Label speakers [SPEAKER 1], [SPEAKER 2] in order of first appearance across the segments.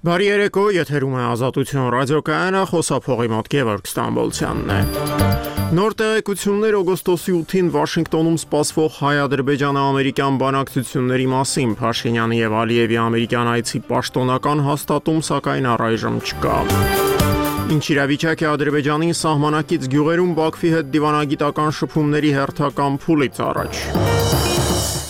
[SPEAKER 1] Բարի երեկո, եթերում է Ազատություն ռադիոկայանը, խոսափողի մոտ Գևորգ Ստամբոլցյանն է։ Նոր տեղեկություններ օգոստոսի 8-ին Վաշինգտոնում սպասվող հայ-ադրբեջանա-ամերիկյան բանակցությունների մասին Փաշինյանի եւ Ալիևի ամերիկյան այցի պաշտոնական հաստատում, սակայն առայժմ չկա։ Ինչ իրավիճակ է Ադրբեջանի սահմանակից գյուղերում Բաքվի հետ դիվանագիտական շփումների հերթական փուլից առաջ։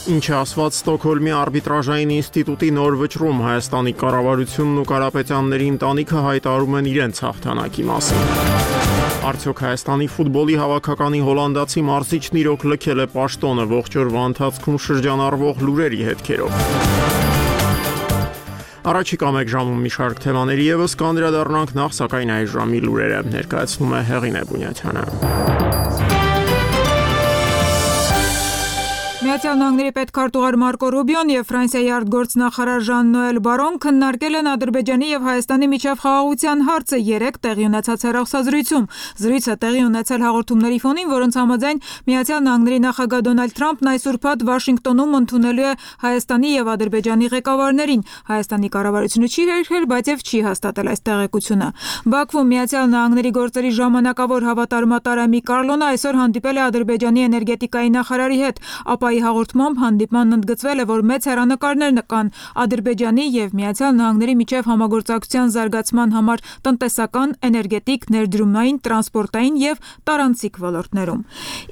[SPEAKER 1] Ինչ է ասված Ստոկհոլմի արբիտրաժային ինստիտուտի նոր վճռում, Հայաստանի կառավարությունն ու Կարապետյանների ընտանիքը հայտարարում են իրենց հաղթանակի մասին։ Արդյոք Հայաստանի ֆուտբոլի հավաքականի հոլանդացի մարզիչն իրոք լքել է պաշտոնը ողջ օրվա ընթացքում շրջանառվող լուրերի հետքերով։ Առաջիկա մեկ ժամում մի շարք թեմաների ևս կանդրադառնանք, նախ սակայն այս ժամի լուրերը ներկայացնում է Հեղինե Բունյաթյանը։
[SPEAKER 2] Միացյալ Նահանգների պետքարտուղար Մարկո Ռուբիոն եւ Ֆրանսիայի արտգործնախարար Ժան-Նոել Բարոն քննարկել են Ադրբեջանի եւ Հայաստանի միջև խաղաղության հարցը երեկ տեղի ունեցած հեռախոսազրույցում։ Զրույցը տեղի ունեցել հաղորդումների ֆոնին, որոնց համաձայն Միացյալ Նահանգների նախագահ Դոնալդ Թրամփն այս ուրբաթ Վաշինգտոնում ընդունելու է Հայաստանի եւ Ադրբեջանի ղեկավարներին։ Հայաստանի կառավարությունը չի հերքել, բայց եւ չի հաստատել այս տեղեկությունը։ Բաքվում Միացյալ Նահանգների գործերի ժամանակավոր հավատարմատար Ամի Կարլոնը այսօր հանդիպել է Ադրբեջանի էներգետիկայի նախարարի հետ, ապա հաղորդմամբ հանդիպմանն ընդգծվել է, որ մեծ հեռանկարներ կան Ադրբեջանի եւ Միացյալ Նահանգների միջև համագործակցության զարգացման համար տնտեսական, էներգետիկ, ներդրումային, տրանսպորտային եւ տարանցիկ ոլորտներում։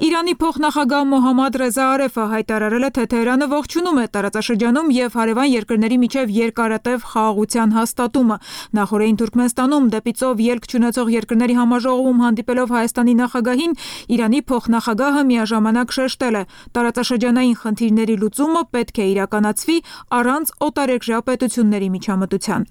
[SPEAKER 2] Իրանի փոխնախագահ Մոհամմադ Ռեզա Արեֆը հայտարարել է, թե Թեհրանը ողջունում է տարածաշրջանում եւ հարևան երկրների միջև երկարատև խաղաղության հաստատումը։ Նախորդին Թուրքմենստանում դեպի ծով ելք չունեցող երկրների համաժողովում հանդիպելով Հայաստանի նախագահին, Իրանի փոխնախագահը միաժամանակ շեշտել է, տարածաշրջանային խնդիրների լուծումը պետք է իրականացվի առանց օտարերկրյա պետությունների միջամտության։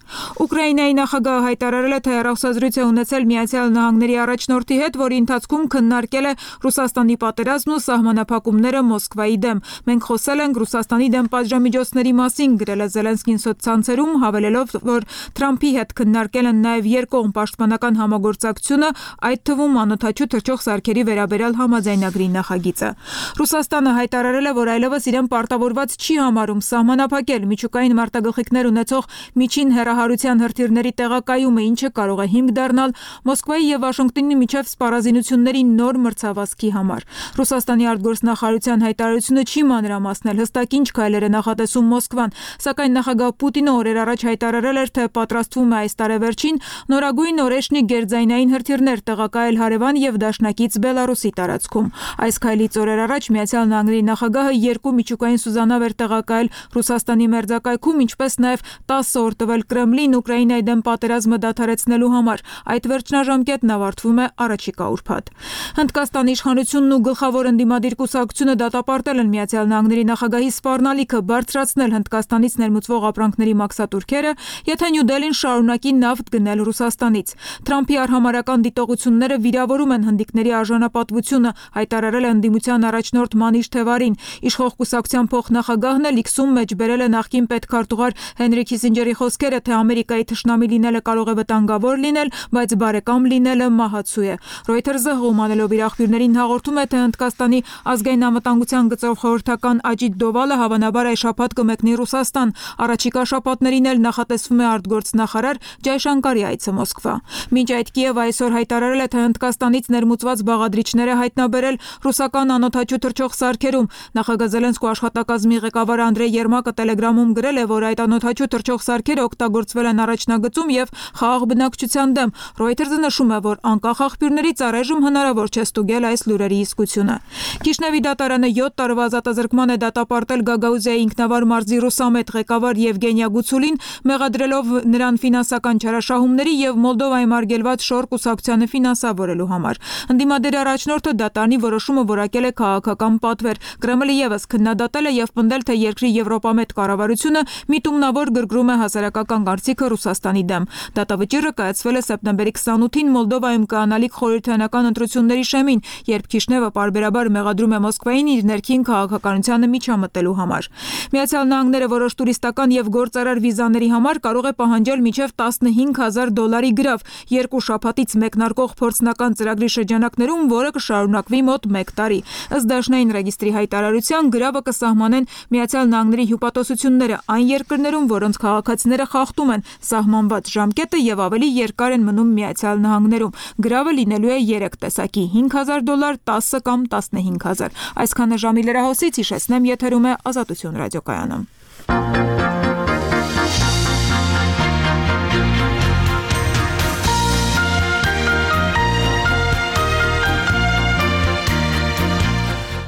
[SPEAKER 2] Ուկրաինայի նախագահը հայտարարել է, թե հեռախոսազրույց է ունեցել Միացյալ Նահանգների առաջնորդի հետ, որի ընթացքում քննարկել է Ռուսաստանի պատերազմն ու սահմանափակումները Մոսկվայի դեմ։ Մենք խոսել ենք Ռուսաստանի դեմ պատժամիջոցների մասին, գրել է Զելենսկին սոցցանցերում, հավելելով, որ Թրամփի հետ քննարկել են նաև երկկողմ պաշտպանական համագործակցությունը, այդ թվում անօդաչու թռչող սարքերի վերաբերյալ համաձայնագրի նախագիծը։ Ռուսաստանը հայտարարել է, որ այլևս իրեն պարտավորված չի համարում սահմանափակել միջուկային մարտագլխիկներ ունեցող միջին հեռահարության հրթիռների տեղակայումը, ինչը կարող է հիմք դառնալ Մոսկվայի եւ Վաշինգտոնի միջև սպառազինությունների նոր մրցավազքի համար։ Ռուսաստանի արտգործնախարարության հայտարարությունը չի մանրամասնել հստակ ինչ քայլեր է նախատեսում Մոսկվան, սակայն նախագահ Պուտինը օրեր առաջ հայտարարել էր, թե պատրաստվում է այս տարեվերջին նորագույն օրեշնի գերձայնային հրթիռներ տեղակայել հարևան եւ դաշնակից Բելարուսի տարածքում։ Այս քայլից օրեր առաջ Միացյալ Նահանգների նախագահը երկու միջուկային սուզանավ էր տեղակայել Ռուսաստանի մերձակայքում, ինչպես նաև 10 օր տվել Կրեմլին Ուկրաինայի դեմ պատերազմը դադարեցնելու համար։ Այդ վերջնաժամկետն ավարտվում է առաջիկա ուրբաթ։ Հնդկաստանի իշխանությունն ու գլխավոր ընդդիմադիր կուսակցությունը դատապարտել են Միացյալ Նահանգների նախագահի սպառնալիքը բարձրացնել Հնդկաստանից ներմուծվող ապրանքների մաքսատուրքերը, եթե Նյու Դելին շարունակի նավթ գնել Ռուսաստանից։ Թրամփի արհամարհական դիտողությունները վիրավորում են հնդիկների արժանապատվությունը, հայտարարել է ընդդիմության առաջնորդ Մանիշ Թևարին։ Իշխող կուսակցության փոխնախագահն էլ X-ում մեջ բերել է նախկին պետքարտուղար Հենրի Քիսինջերի խոսքերը, թե Ամերիկայի թշնամի լինելը կարող է վտանգավոր լինել, բայց բարեկամ լինելը մահացու է։ Reuters-ը հողմանելով իր աղբյուրներին հաղորդում է, թե Հնդկաստանի ազգային անվտանգության գծով խորհրդական Աջիտ Դովալը հավանաբար այս շաբաթ կմեկնի Ռուսաստան։ Առաջիկա շաբաթներին էլ նախատեսվում է արտգործնախարար Ջայշանկարի այցը Մոսկվա։ Մինչ այդ Կիևը այսօր հայտարարել է, թե Հնդկաստանից ներմուծված բաղադրիչները հայտնաբերել ռուսական անօդաչու թռչող սարքերում։ Նախագահ Զելենսկու աշխատակազմի ղեկավար Անդրեյ Երմակը Telegram-ում գրել է, որ այդ անօդաչու թռչող սարքերը օգտագործվել են առաջնագծում եւ խաղաղ բնակչության դեմ։ Reuters-ը նշում է, որ անկախ աղբյուրներից առայժմ հնարավոր չէ ստուգել այս լուրերի իսկությունը։ Կիշնևի դատարանը 7 տարվա ազատազրկման է դատապարտել Գագաուզիայի ինքնավար մարզի Ռուսամետ ղեկավար Եվգենիա Գուցուլին, մեղադրելով նրան ֆինանսական չարաշահումների եւ Մոլդովայի մարգելված շոր կուսակցությանը ֆինանսավորելու համար։ Ընդդիմադիր առաջնորդը դատարանի որոշումը որակել է քաղաքական պատվեր։ Կրեմլը եւս քննադատել է եւ պնդել, թե երկրի եվրոպամետ կառավարությունը միտումնավոր գրգռում է հասարակական կարծիքը Ռուսաստանի դեմ։ Դատավճիռը կայացվել է սեպտեմբերի 28-ին Մոլդովայում կանալիք խորհրդարանական ընտրությունների շեմին, երբ Քիշնևը պարբերաբար մեղադրում է Մոսկվային իր ներքին քաղաքականությանը միջամտելու համար։ Միացյալ Նահանգները որոշ տուրիստական եւ գործարար վիզաների համար կարող է պահանջել մինչև $15,000 գրավ 2 շաբաթից մեկնարկող փորձնական ծրագրի շրջանակներում, որը կշարունակվի մոտ 1 տարի։ Ըստ Դաշնային ռեգիստրի հայտարարության ուղղության գրավը կսահմանեն Միացյալ Նահանգների հյուպատոսությունները այն երկրներում, որոնց քաղաքացիները խախտում են սահմանված ժամկետը եւ ավելի երկար են մնում Միացյալ Նահանգներում։ Գրավը լինելու է 3 տեսակի՝ $5,000, 10 կամ 15,000։ Այսքանը ժամի լրահոսից, հիշեցնեմ, եթերում է Ազատություն ռադիոկայանը։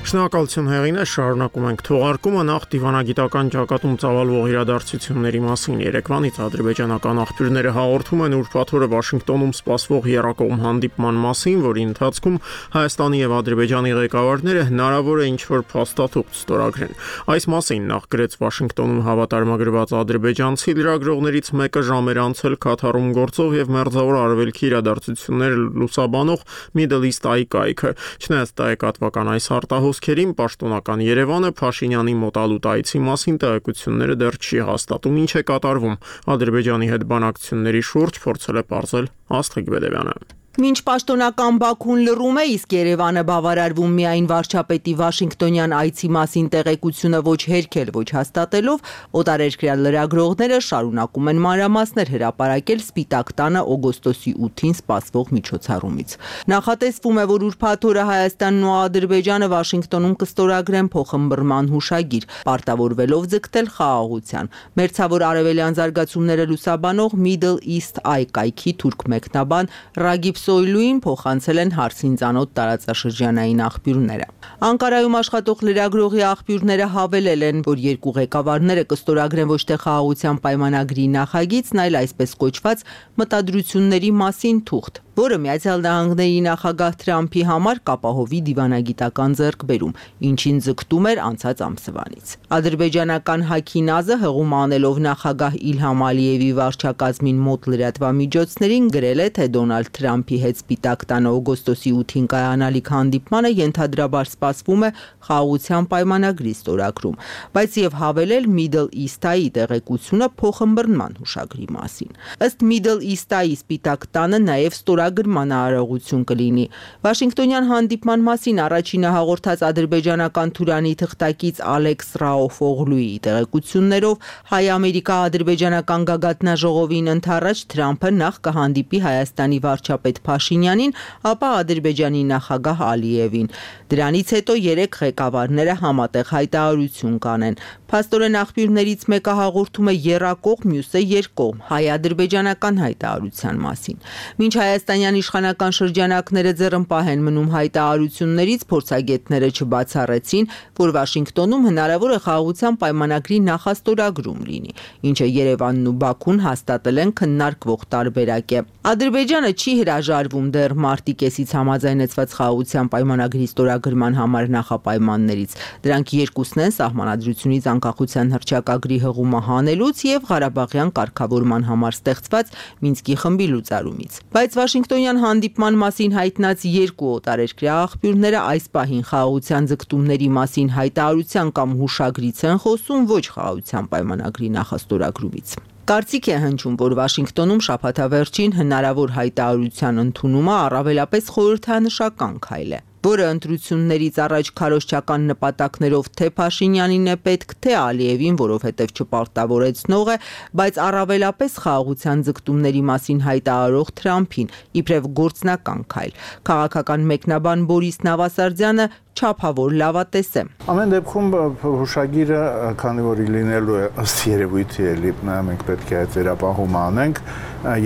[SPEAKER 1] Շնորհակալություն հեղինե, շարունակում ենք թողարկումը նախ դիվանագիտական ճակատում ծավալվող իրադարձությունների մասին։ Երեկվանից ադրբեջանական աղբյուրները հաղորդում են ուրբաթ օրը Վաշինգտոնում սպասվող եռակողմ հանդիպման մասին, որի ընթացքում Հայաստանի եւ Ադրբեջանի ղեկավարները հնարավոր է ինչ-որ փաստաթուղթ ստորագրեն։ Այս մասին նախ գրեց Վաշինգտոնում հավատարմագրված ադրբեջանցի լրագրողներից մեկը ժամեր անց Քաթարում գործող եւ Մերձավոր Արևելքի իրադարձությունները լուսաբանող Middle East Eye կայքը։ Չնայած տեղեկատվական այս արտահոսքերին պաշտոնական Երևանը Փաշինյանի մոտալուտ այցի մասին տեղեկությունները դեռ չի հաստատում, ինչ է կատարվում Ադրբեջանի հետ բանակցությունների շուրջ, փորձել է պարզել Աստղիկ Բեդևյանը։
[SPEAKER 3] Մինչ պաշտոնական Բաքուն լռում է, իսկ Երևանը բավարարվում միայն վարչապետի Վաշինգտոնյան այցի մասին տեղեկությունը ոչ հերքել, ոչ հաստատելով, օտարերկրյա լրագրողները շարունակում են մանրամասներ հրապարակել Սպիտակ տանը օգոստոսի 8-ին սպասվող միջոցառումից։ Նախատեսվում է, որ ուրբաթ օրը Հայաստանն ու Ադրբեջանը Վաշինգտոնում կստորագրեն փոխըմբռնման հուշագիր, պարտավորվելով ձգտել խաղաղության։ Մերձավոր արևելյան զարգացումները լուսաբանող Middle East Eye կայքի թուրք մեկնաբան Ռագիբ Սոյլուին փոխանցել են հարցին ծանոթ տարածաշրջանային աղբյուրները։ Անկարայում աշխատող լրագրողի աղբյուրները հավելել են, որ երկու ղեկավարները կստորագրեն ոչ թե խաղաղության պայմանագրի նախագիծն, այլ այսպես կոչված մտադրությունների մասին թուղթ, որը Միացյալ Նահանգների նախագահ Թրամփի համար կապահովի դիվանագիտական ձեռքբերում, ինչին ձգտում էր անցած ամսվանից։ Ադրբեջանական Հաքինազը հղում անելով նախագահ Իլհամ Ալիևի վարչակազմին մոտ լրատվամիջոցներին գրել է, թե Դոնալդ Թրամփի հետ Սպիտակ տանը օգոստոսի 8-ին կայանալիք հանդիպմանը ենթադրաբար սպասվում է խաղաղության պայմանագրի ստորագրում, բայց եւ հավելել Middle East-ի տեղեկությունը փոխըմբռնման հուշագրի մասին։ Ըստ Middle East-ի Սպիտակ տանը նաեւ ստորագրման արարողություն կլինի։ Վաշինգտոնյան հանդիպման մասին առաջինը հաղորդած ադրբեջանական Թուրանի թղթակից Ալեքս Ռաոֆօղլուի տեղեկություններով հայ-ամերիկա-ադրբեջանական գագաթնաժողովին ընդառաջ Թրամփը նախ կհանդիպի Հայաստանի վարչապետ Փաշինյանին, ապա Ադրբեջանի նախագահ Ալիևին։ Դրանից հետո երեք ղեկավարները համատեղ հայտարարություն կանեն։ Փաստորեն աղբյուրներից մեկը հաղորդում է եռակողմ, մյուսը երկկողմ հայ-ադրբեջանական հայտարարության մասին։ Մինչ հայաստանյան իշխանական շրջանակները ձեռնպահ են մնում հայտարարություններից, փորձագետները չբացառեցին, որ Վաշինգտոնում հնարավոր է խաղաղության պայմանագրի նախաստորագրում լինի, ինչը Երևանն ու Բաքուն հաստատել են քննարկվող տարբերակ է։ Ադրբեջանը չի հրաժարվում դեռ մարտի կեսից համաձայնեցված խաղաղության պայմանագրի ստորագրման համար նախապայմաններից։ Դրանք երկուսն են սահմանադրությունից անկախության հռչակագրի հղումը հանելուց եւ Ղարաբաղյան կարգավորման համար ստեղծված Մինսկի խմբի լուծարումից։ Բայց Վաշինգտոնյան հանդիպման մասին հայտնած երկու օտարերկրյա աղբյուրները այս պահին խաղաղության ձգտումների մասին հայտարարության կամ հուշագրից են խոսում, ոչ խաղաղության պայմանագրի նախաստորագրումից։ Կարծիք է հնչում, որ Վաշինգտոնում շաբաթավերջին հնարավոր հայտարարության ընդունումը առավելապես խորհրդանշական քայլ է, որը ընտրություններից առաջ քարոզչական նպատակներով թե Փաշինյանին է պետք, թե Ալիևին, որովհետև չպարտավորեցնող է, բայց առավելապես խաղաղության ձգտումների մասին հայտարարող Թրամփին, իբրև գործնական քայլ։ Քաղաքական մեկնաբան Բորիս Նավասարդյանը չափավոր լավատես է։
[SPEAKER 4] Ամեն դեպքում հուշագիրը, քանի որ լինելու է ըստ երևույթի էլի, մենք պետք է այդ վերապահումը անենք,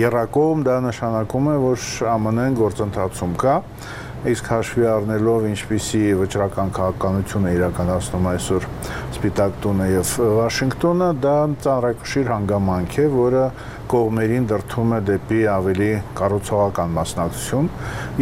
[SPEAKER 4] եռակողմ դա նշանակում է, որ ԱՄՆ-ն գործընթացում կա, իսկ հաշվի առնելով ինչպիսի վճռական քաղաքականություն է իրականացնում այսօր Սպիտակ տունը եւ Վաշինգտոնը, դա ծանրակշիռ հանգամանք է, որը կողմերին դրդում է դեպի ավելի կառուցողական մասնակցություն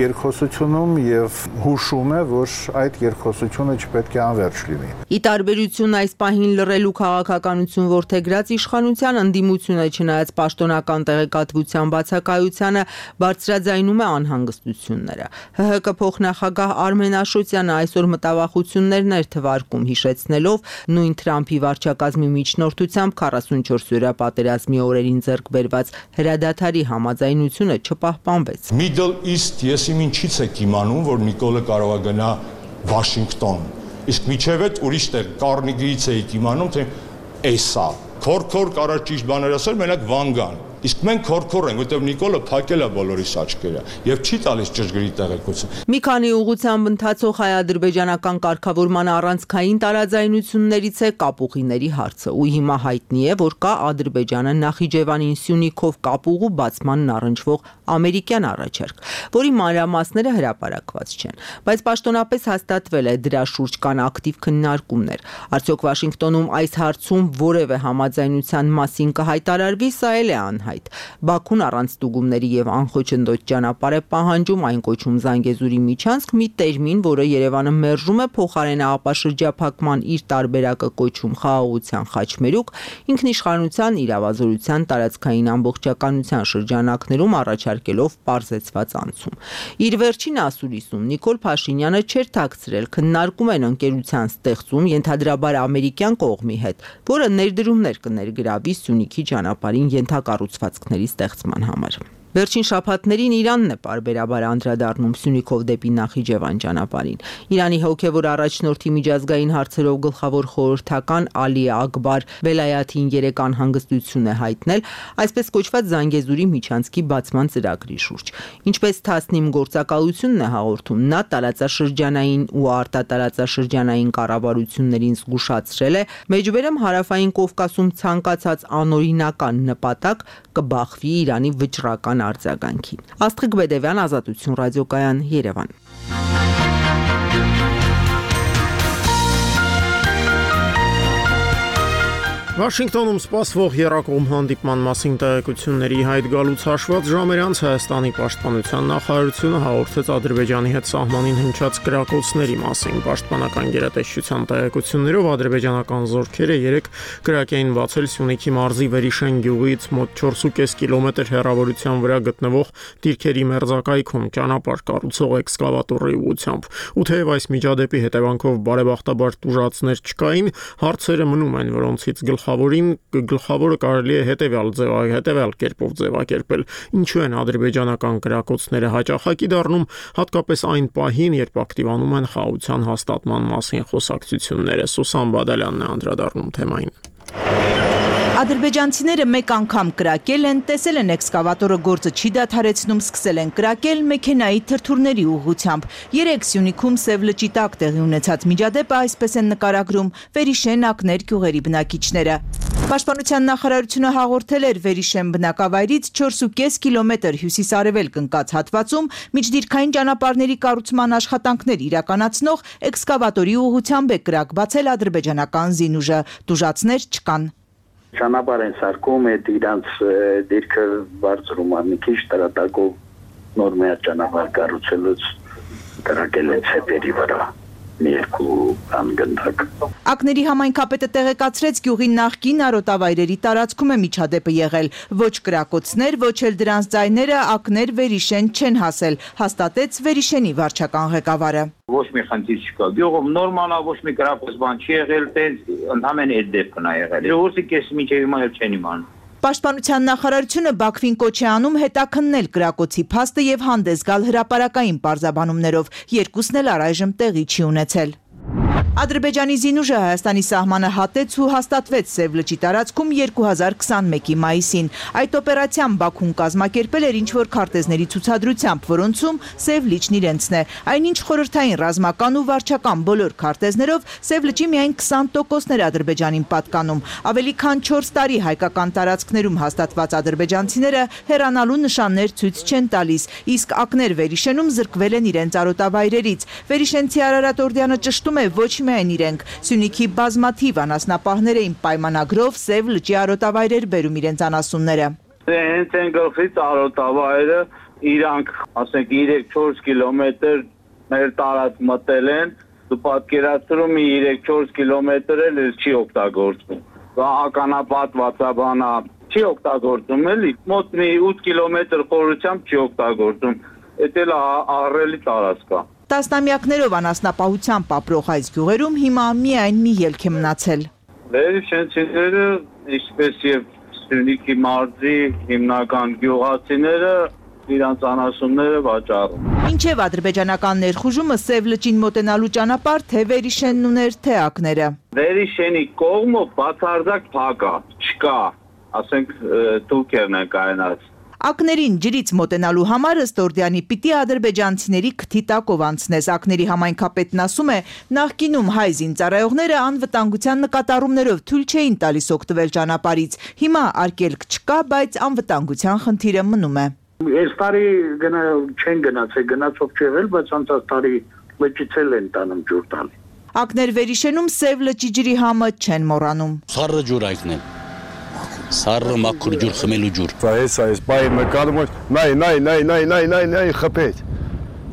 [SPEAKER 4] երկխոսությունում եւ հուշում է, որ այդ երկխոսությունը չպետք է անվերջ լինի։
[SPEAKER 3] Ի տարբերություն այս պահին լռելու քաղաքականություն որդեգրած իշխանության ընդդիմությունը, չնայած պաշտոնական տեղեկատվության բացակայությանը, բարձրաձայնում է անհանգստությունները։ ՀՀԿ փոխնախագահ Արմեն Աշոտյանը այսօր մտավախություններն էր թվարկում, հիշեցնելով նույն Թրամփի վարչակազմի միջնորդությամբ 44-օրյա պատերազմի օրերին ձեռք բերված հրադադարի համաձայնությունը չպահպանվեց։
[SPEAKER 5] Middle East ես իմ ինչից եք իմանում, որ Նիկոլը կարող է գնա Վաշինգտոն։ Իսկ միջև այդ ուրիշ տեղ Կարնեգիից էիք իմանում, թե էսա քորքոր կարար ճիշտ բաներ ասել, մենակ Վանգան։ Իսկ մենք քորքոր ենք, որտեղ Նիկոլը փակել է բոլորիս աչքերը եւ չի տալիս ճշգրիտ տեղեկություն։
[SPEAKER 3] Մի քանի ուղղությամբ ընթացող հայ-ադրբեջանական կարգավորման առանցքային տարաձայնություններից է կապուղիների հարցը, ու հիմա հայտնի է, որ կա Ադրբեջանը Նախիջևանին Սյունիքով կապուղու բացմանն առնչվող ամերիկյան առաջարկ, որի մանրամասները հրապարակված չեն, բայց պաշտոնապես հաստատվել է դրա շուրջ կան ակտիվ քննարկումներ։ Արդյոք Վաշինգտոնում այս հարցում որևէ համաձայնության մասին կհայտարարվի, սա էլ է անհայտ։ Բաքուն առանց ստուգումների եւ անխոչնդոտ ճանապարհ է պահանջում, այն կոչում Զանգեզուրի միջանցք, մի տերմին, որը Երևանը մերժում է, փոխարենը ապաշրջափակման իր տարբերակը կոչում խաղաղության խաչմերուկ, ինքնիշխանության, իրավազորության, տարածքային ամբողջականության շրջանակներում առաջարկելով պարզեցված անցում։ Իր վերջին ասուլիսում Նիկոլ Փաշինյանը չէր թաքցրել, քննարկում են ընկերության ստեղծում ենթադրաբար ամերիկյան կողմի հետ, որը ներդրումներ կներգրավի Սյունիքի ճանապարհին ենթակառուցվածքների ստեղծման համար։ Վերջին շաբաթներին Իրանն է պարբերաբար անդրադառնում Սյունիքով դեպի Նախիջևան ճանապարհին։ Իրանի հոգևոր առաջնորդի միջազգային հարցերով գլխավոր խորհրդական Ալի Ակբար Վելայաթին 3 անհանգստություն է հայտնել այսպես կոչված Զանգեզուրի միջանցքի բացման ծրագրի շուրջ։ Ինչպես Թասնիմ գործակալությունն է հաղորդում, նա տարածաշրջանային ու արտատարածաշրջանային կառավարություններին զգուշացրել է, մեջբերեմ Հարավային Կովկասում ցանկացած անօրինական նպատակ կբախվի Իրանի վճռական արձագանքին։ Աստղիկ Բեդևյան, Ազատություն ռադիոկայան, Երևան։
[SPEAKER 1] Վաշինգտոնում սպասվող եռակողմ հանդիպման մասին տեղեկությունների հայտ գալուց հաշված ժամեր անց Հայաստանի պաշտպանության նախարարությունը հաղորդեց Ադրբեջանի հետ սահմանին հնչած կրակոցների մասին։ Պաշտպանական գերատեսչության տեղեկություններով ադրբեջանական զորքերը 3 կրակ էին բացել Սյունիքի մարզի Վերիշեն գյուղից մոտ 4.5 կիլոմետր հեռավորության վրա գտնվող Տիրքերի մերձակայքում ճանապարհ կառուցող էքսկավատորի ուղղությամբ։ Ու թեև այս միջադեպի հետևանքով բարեբախտաբար տուժածներ չկային, հարցերը մնում են, որոնցից գլխավորը կարելի է հետևյալ կերպով ձևակերպել։ Ինչու են ադրբեջանական կրակոցները հաճախակի դառնում, հատկապես այն պահին, երբ ակտիվանում են խաղաղության հաստատման մասին խոսակցությունները։ Սուսան Բադալյանն է անդրադառնում թեմային։
[SPEAKER 6] Ադրբեջանցիները մեկ անգամ կրակել են, տեսել են էքսկավատորը գործը չի դադարեցնում, սկսել են կրակել մեքենայի թրթուրների ուղղությամբ։ 3 Սյունիքում Սև լճի տակ տեղի ունեցած միջադեպը այսպես են նկարագրում Վերիշեն ակներ գյուղերի բնակիչները։ Պաշտպանության նախարարությունը հաղորդել էր Վերիշեն բնակավայրից 4.5 կիլոմետր հյուսիս-արևելք ընկած հատվածում միջդիրքային ճանապարհների կառուցման աշխատանքներ իրականացնող էքսկավատորի ուղղությամբ է կրակ բացել ադրբեջանական զինուժը։ Տուժածներ չկան։
[SPEAKER 7] Ճանապարհ են սարքում, այդ իրանց դիրքը բարձրում է մի քիչ տրատակով նոր մեծ ճանապարհ կառուցելուց կրակել են ցեպերի վրա մի երկու անգնդակ։
[SPEAKER 6] Ակների համայնքապետը տեղեկացրեց գյուղի նախկին արոտավայրերի տարածքում է միջադեպը եղել։ Ոչ կրակոցներ, ոչ էլ դրանց ձայները ակներ Վերիշեն չեն հասել, հաստատեց Վերիշենի վարչական ղեկավարը։
[SPEAKER 7] Ոչ մի խնդիր չկա։ Գյուղում նորմալ է, ոչ մի կրակոց բան չի եղել, տենց ընդհանրեն այդ դեպքն է եղել։ Ոսի կես մինչև հիմա էլ չեն իմանում։
[SPEAKER 6] Պաշտպանության նախարարությունը Բաքվին կոչ է անում հետաքննել կրակոցի փաստը եւ հանդես գալ հրապարակային պարզաբանումներով։ Երկուսն էլ առայժմ տեղի չի ունեցել։ Ադրբեջանի զինուժը Հայաստանի սահմանը հատեց ու հաստատվեց Սև լճի տարածքում 2021-ի մայիսին։ Այդ օպերացիան Բաքուն կազմակերպել էր ինչ-որ քարտեզների ցուցադրությամբ, որոնցում Սև լիճն իրենցն է։ Այնինչ խորհրդային ռազմական ու վարչական բոլոր քարտեզներով Սև լճի միայն 20%-ն էր Ադրբեջանին պատկանում։ Ավելի քան 4 տարի հայկական տարածքներում հաստատված ադրբեջանցիները հեռանալու նշաններ ցույց չեն տալիս, իսկ ակներ Վերիշենում զրկվել են իրենց արոտավայրերից։ Վերիշենցի Արարատ Օրդյանը ճշտում է ոչ միայն իրենք, Սյունիքի բազմաթիվ անասնապահներ էին պայմանագրով Սև լճի արոտավայրեր բերում իրենց անասունները։
[SPEAKER 7] Հենց են գլխից արոտավայրը իրանք, ասենք 3-4 կիլոմետր մեր տարած մտել են, դու պատկերացրում 3-4 կիլոմետր էլ չի օգտագործվում։ Ականապատվածաբանա չի օգտագործում էլի, մոտ մի 8 կիլոմետր խորությամբ չի օգտագործում, դա էլ ահռելի տարածք է։
[SPEAKER 6] Տասնամյակներով անասնապահությամբ ապրող այս գյուղերում հիմա միայն մի ելք է մնացել։
[SPEAKER 7] Վերիշենցիները, ինչպես եւ Սյունիքի մարզի հիմնական գյուղացիները իրանց անասունները վաճառում։
[SPEAKER 6] Ինչև ադրբեջանական ներխուժումը Սև լճին մոտենալու ճանապարհ թե Վերիշենն ուներ, թե ակները։
[SPEAKER 7] Վերիշենի կողմը բացարձակ փակ է, չկա, ասենք Թուրքիան է կայացած։
[SPEAKER 6] Ակներին ջրից մոտենալու համար ըստ Օրդյանի պիտի ադրբեջանցիների քթի տակով անցնես։ Ակների համայնքապետն ասում է, նախկինում հայ զինծառայողները անվտանգության նկատառումներով թույլ չէին տալիս օգտվել ճանապարհից։ Հիմա արգելք չկա, բայց անվտանգության խնդիրը մնում է։
[SPEAKER 7] Այս տարի չեն գնացել, գնացող չեղել, բայց անցած տարի լճից են տանում ջուր տալի։
[SPEAKER 6] Ակներ Վերիշենում Սև լճի ջրի համը չեն մոռանում։
[SPEAKER 8] Սառը ջուր այգնել։ Սառը մաքուր ջուր, խմելու ջուր։
[SPEAKER 9] Այս բայ մկալում նայ խփեց։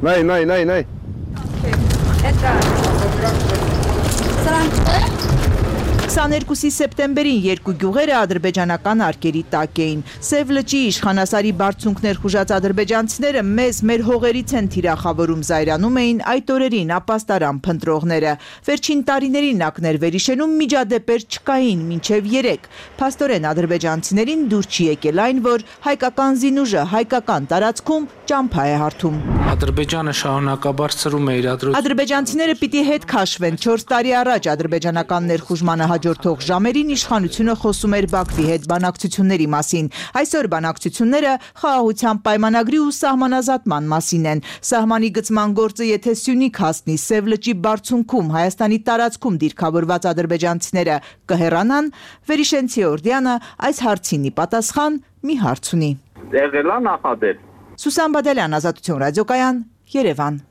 [SPEAKER 9] Նայ։
[SPEAKER 6] 22 սեպտեմբերին երկու գյուղերը ադրբեջանական արկերի տակ էին։ Սև լճի իշխանասարի բարձունքներ խուժած ադրբեջանցիները մեզ մեր հողերից են թիրախավորում, զայրանում էին այդ օրերին ապաստարան փնտրողները։ Վերջին տարիներին ակներ Վերիշենում միջադեպեր չկային մինչև 3։ Փաստորեն ադրբեջանցիներին դուր չի եկել այն, որ հայկական զինուժը հայկական տարածքում ճամփա է հարթում։
[SPEAKER 10] Ադրբեջանը շարունակաբար սրում է իր
[SPEAKER 6] Ադրբեջանցիները պիտի հետ քաշվեն։ 4 տարի առաջ ադրբեջանական ներխուժմանը հաջորդող ժամերին իշխանությունը խոսում էր Բաքվի հետ բանակցությունների մասին։ Այսօր բանակցությունները խաղաղության պայմանագրի ու սահմանազատման մասին են։ Սահմանի գծման գործը եթե Սյունիք հասնի, Սև լճի բարձունքում Հայաստանի տարածքում դիրքավորված ադրբեջանցիները կհեռանան, Վերիշենցի Օրդյանը այս հարցինի պատասխան մի հարց ունի։
[SPEAKER 7] Եղել է նախադեպ։
[SPEAKER 6] Սուսան Բադալյան, Ազատություն ռադիոկայան, Երևան։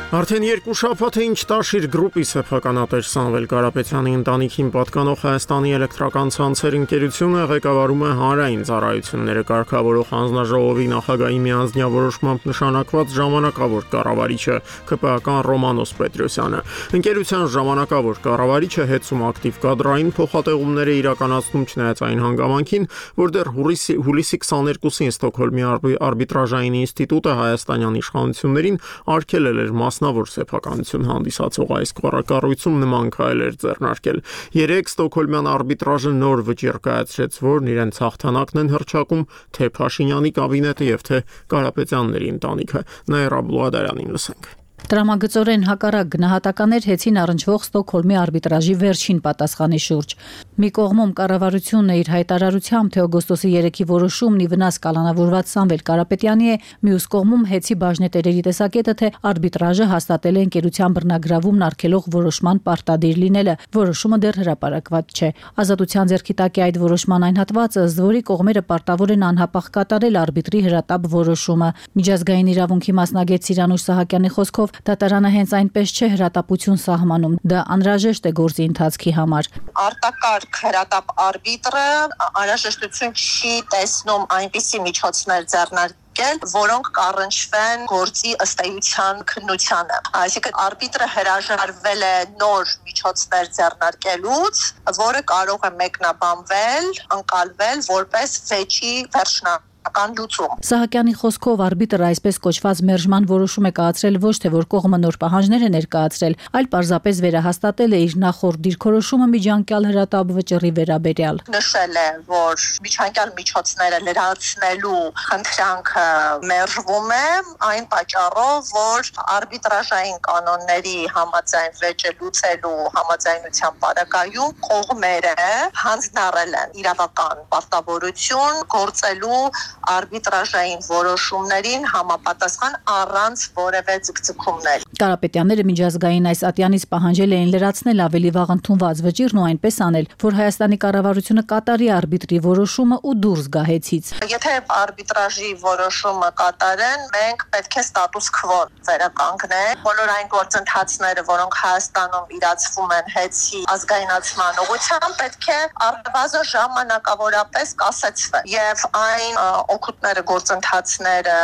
[SPEAKER 1] Արդեն երկու շաբաթ է ինչ Տաշիր գրուպի սեփականատեր Սամվել Կարապետյանի ընտանիքին պատկանող Հայաստանի էլեկտրական ցանցեր ընկերությունը ղեկավարում է հանրային ծառայությունները կարգավորող հանձնաժողովի նախագահի միանձնյա որոշմամբ նշանակված ժամանակավոր կառավարիչը ԿՊԱ-ական Ռոմանոս Պետրոսյանը։ Ընկերության ժամանակավոր կառավարիչը հետսում ակտիվ կադրային փոխատեղումներ է իրականացնում չնայած այն հանգամանքին, որ դեռ հուլիսի 22-ին Ստոկհոլմի արբիտրաժային ինստիտուտը հայաստանյան իշխանություններին արգելել էր մասնավոր սեփականություն հանդիսացող այս կառույցում նման քայլ էր ձեռնարկել։ 3 Ստոկհոլմյան արբիտրաժը նոր վճիռ կայացրեց, որն իրենց հաղթանակն են հռչակում թե Փաշինյանի կաբինետը եւ թե Կարապետյանների ընտանիքը։ Նաիրա Բլուադարյանին լսենք։
[SPEAKER 11] Տրամագծորեն հակառակ գնահատականներ հեցին առնչվող Ստոկհոլմի արբիտրաժի վերջին պատասխանի շուրջ։ Մի կողմում կառավարությունն իր հայտարարությամբ թե օգոստոսի 3-ի որոշումն ի վնաս կալանավորված Սամվել Կարապետյանի է, մյուս կողմում հեցի բաժնետերերի տեսակետը թե արբիտրաժը հաստատել է ընկերության բռնագրավումն արգելող որոշման պարտադիր լինելը, որոշումը դեռ հրապարակված չէ։ Ազատության ձեռքի տակ է այդ որոշման այն հատվածը, ըստ որի կողմերը պարտավոր են անհապաղ կատարել արբիտրի հրատապ որոշումը։ Միջազգային իրավունքի մասնագետ Սիրանուշ Սահակյանի խոսքով դատարանը հենց այնպես չէ հրատապություն սահմանում, դա անհրաժեշտ է գործի ընթացքի համար։
[SPEAKER 12] Արտակարգ հրատապ արբիտրը անհրաժեշտություն չի տեսնում այնպիսի միջոցներ ձեռնարկել, որոնք կառնչվեն գործի ըստ էության քննությանը։ Այսինքն արբիտրը հրաժարվել է նոր միջոցներ ձեռնարկելուց, որը կարող է մեկնաբանվել, ընկալվել որպես վեճի վերջնական լուծում։
[SPEAKER 11] Սահակյանի խոսքով արբիտրը այսպես կոչված մերժման որոշում է կայացրել ոչ թե որ կողմը նոր պահանջներ է ներկայացրել, այլ պարզապես վերահաստատել է իր նախորդ դիրքորոշումը միջանկյալ հրատապ վճռի վերաբերյալ։
[SPEAKER 12] Նշել է, որ միջանկյալ միջոցները լրացնելու խնդրանքը մերժվում է այն պատճառով, որ արբիտրաժային կանոնների համաձայն վեճը լուծելու համաձայնության պարագայում կողմերը հանձնարարել են իրավական պարտավորություն գործելու արբիտրաժային որոշումներին համապատասխան առանց որևէ ձգձգումներ։
[SPEAKER 11] Կարապետյանները միջազգային այս ատյանից պահանջել էին լրացնել ավելի վաղ ընդունված վճիրն ու այնպես անել, որ Հայաստանի կառավարությունը կատարի արբիտրի որոշումը ու դուրս գա հեծից։
[SPEAKER 12] Եթե արբիտրաժի որոշումը կատարեն, մենք պետք է ստատուս քվո վերականգնենք։ Բոլոր այն գործընթացները, որոնք Հայաստանում իրացվում են հեծի ազգայնացման ուղղությամբ, պետք է առնվազն ժամանակավորապես կասեցվեն։ Եվ այն օգուտները, գործընթացները,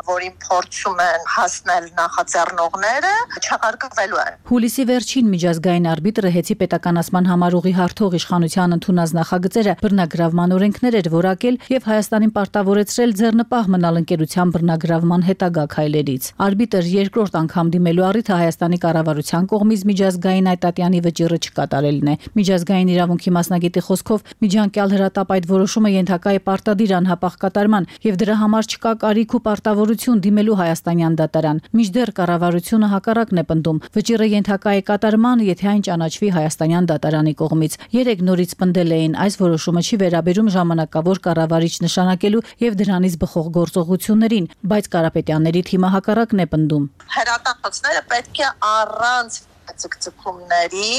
[SPEAKER 12] որին փորձում են հասնել նախաձեռնողները, չեղարկվելու են։
[SPEAKER 11] Հուլիսի վերջին միջազգային արբիտրը հեծի պետականացման համարուղի հարթող իշխանության ընդունած նախագծերը բռնագրավման օրենքներ էր որակել եւ Հայաստանին պարտավորեցրել ձեռնպահ մնալ ընկերության բռնագրավման հետագա քայլերից։ Արբիտր երկրորդ անգամ դիմելու առիթը Հայաստանի կառավարության կողմից միջազգային այտատյանի վճիռը չկատարելն է։ Միջազգային իրավունքի մասնագետի խոսքով միջանկյալ հրատապ այդ որոշումը ենթակա է պարտադիր անհապաղ կատարման եւ դրա համար չկա կարիք ու պարտավորություն դիմելու հայաստանյան դատարան։ Մինչդեռ կառավարությունը հակառակն է պնդում։ Վճիռը ենթակա է կատարման, եթե այն ճանաչվի հայաստանյան դատարանի կողմից։ Երեք նորից պնդել էին, այս որոշումը չի վերաբերում ժամանակավոր կառավարիչ նշանակելու եւ դրանից բխող գործողություններին, բայց Կարապետյանների թիմը հակառակն է պնդում։
[SPEAKER 12] Հրատապացները պետք է առանց ցկցկումների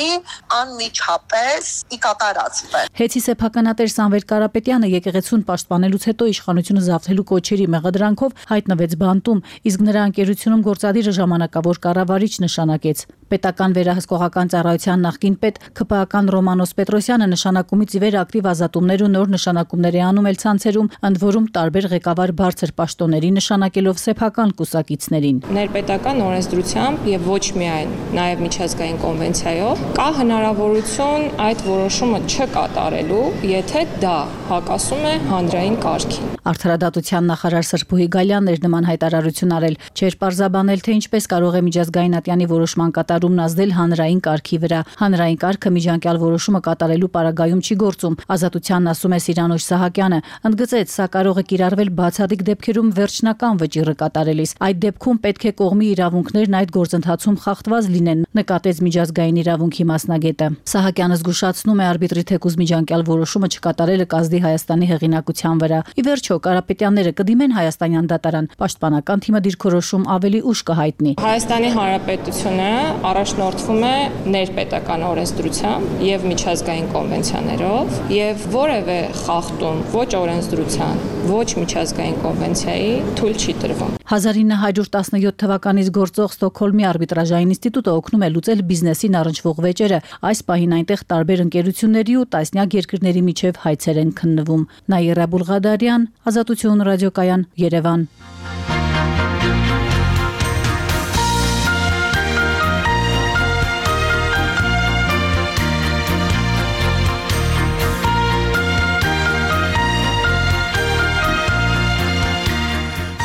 [SPEAKER 12] անմիջապես կատարածվեն։
[SPEAKER 11] Հեծի սեփականատեր Սամվել Կարապետյանը եկեղեցուն պաշտպանելուց հետո իշխանությունը զավթելու կոչերի մեղադրանքով հայտնվեց բանտում, իսկ նրա ընկերությունում գործադիրը ժամանակավոր կառավարիչ նշանակեց։ Պետական վերահսկողական ծառայության նախկին պետ ՔՊԱ-ական Ռոմանոս Պետրոսյանը նշանակումից ի վեր ակտիվ ազատումներ ու նոր նշանակումներ է անում էլ ցանցերում, ընդ որում տարբեր ղեկավար բարձր պաշտոնների նշանակելով սեփական կուսակիցներին։
[SPEAKER 13] Ներպետական օրենսդրությամբ եւ ոչ միայն նաեւ միջազգային կոնվենցիայով կա հնարավորություն այդ որոշումը չկատարելու, եթե դա հակասում է հանրային կարգին։
[SPEAKER 11] Արդարադատության նախարար Սրբուհի Գալյանն էր նման հայտարարություն արել, չէր պարզաբանել, թե ինչպես կարող է միջազգային ատյանի որոշման կատարումն ազդել հանրային կարգի վրա։ Հանրային կարգը միջանկյալ որոշումը կատարելու պարագայում չի գործում, Ազատությանն ասում է Սիրանոש Սահակյանը, ընդգծեց, սա կարող է կիրառվել բացառիկ դեպքերում վերջնական վճիռը կատարելիս։ Այդ դեպքում պետք է կողմի իրավունքներն այդ գործընթացում խախտված լինեն, նկատեց միջազգային իրավունքի մասնագետը։ Սահակյանը զգուշացնում է արբիտրի թեկուզ միջանկյալ որոշումը չկատարելը կազդի Հայաստանի հեղինակության վրա։ Ի վերջո Կարապետյանները կդիմեն հայաստանյան դատարան, պաշտպանական թիմը դիրքորոշում ավելի ուշ կհայտնի։
[SPEAKER 13] Հայաստանի Հանրապետությունը առաջնորդվում է ներպետական օրենսդրությամբ եւ միջազգային կոնվենցիաներով եւ որևէ խախտում ոչ օրենսդրության, ոչ միջազգային կոնվենցիայի թույլ չի տրվում։
[SPEAKER 11] 1917 թվականից գործող Ստոկհոլմի արբիտրաժային ինստիտուտը օգնում է լուծել բիզնեսին առնչվող վեճերը։ Այս պահին այնտեղ տարբեր ընկերությունների ու տասնյակ երկրների միջև հայցեր են քննվում։ Նաիրա Բուլղադարյան, Ազատություն ռադիոկայան, Երևան։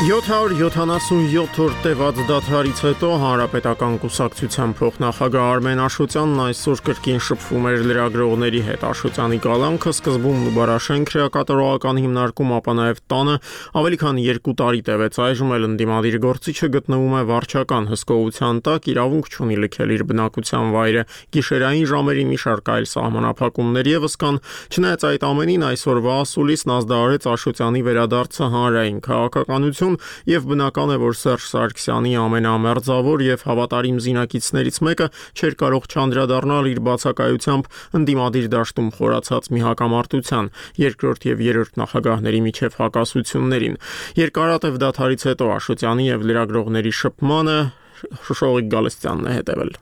[SPEAKER 1] «777-րդ տևած դադարից հետո Հանրապետական կուսակցության փոխնախագահ Արմեն Աշոտյանն այսօր կրկին շփվում էր լրագրողների հետ։ Աշոտյանի կալանքը սկզբում Նուբարաշեն քրեակատարողական հիմնարկում, ապա նաև տանը ավելի քան 2 տարի տևեց։ Այժմ էլ ընդդիմադիր գործիչը գտնվում է վարչական հսկողության տակ, իրավունք չունի լքել իր բնակության վայրը։ Գիշերային ժամերին մի շարք այլ սահմանափակումներ ևս կան։ Չնայած այդ ամենին, այսօրվա ասուլիսն ազդարարեց Աշոտյանի վերադարձը հանրային քաղաքականություն, եւ բնական է, որ Սերժ Սարգսյանի ամենամերձավոր եւ հավատարիմ զինակիցներից մեկը չէր կարող չանդրադառնալ իր բացակայությամբ ընդդիմադիր դաշտում խորացած մի հակամարտության, երկրորդ եւ երրորդ նախագահների միջև հակասություններին։ Երկարատև դադարից հետո Աշոտյանի եւ լրագրողների շփմանը Շոշողիկ Գալստյանն է հետևել։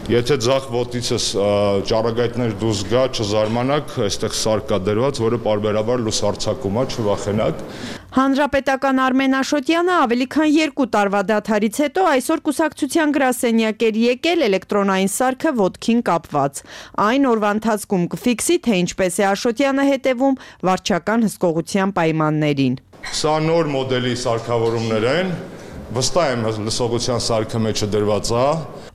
[SPEAKER 5] Եթե ձախ ոտիցս ճառագայթներ դուրս գա, չզարմանաք, այստեղ սար կա դրված, որը պարբերաբար լուսարձակում է, չվախենաք։
[SPEAKER 6] Հանրապետական Արմեն Աշոտյանը ավելի քան 2 տարվա դադարից հետո այսօր կուսակցության գրասենյակ էր եկել էլեկտրոնային սարքը ոտքին կապված։ Այն օրվա ընթացքում կֆիքսի, թե ինչպես է Աշոտյանը հետևում վարչական հսկողության պայմաններին։
[SPEAKER 5] Սա նոր մոդելի սարքավորումներ են, վստահ եմ լսողության սարքը մեջը դրված է։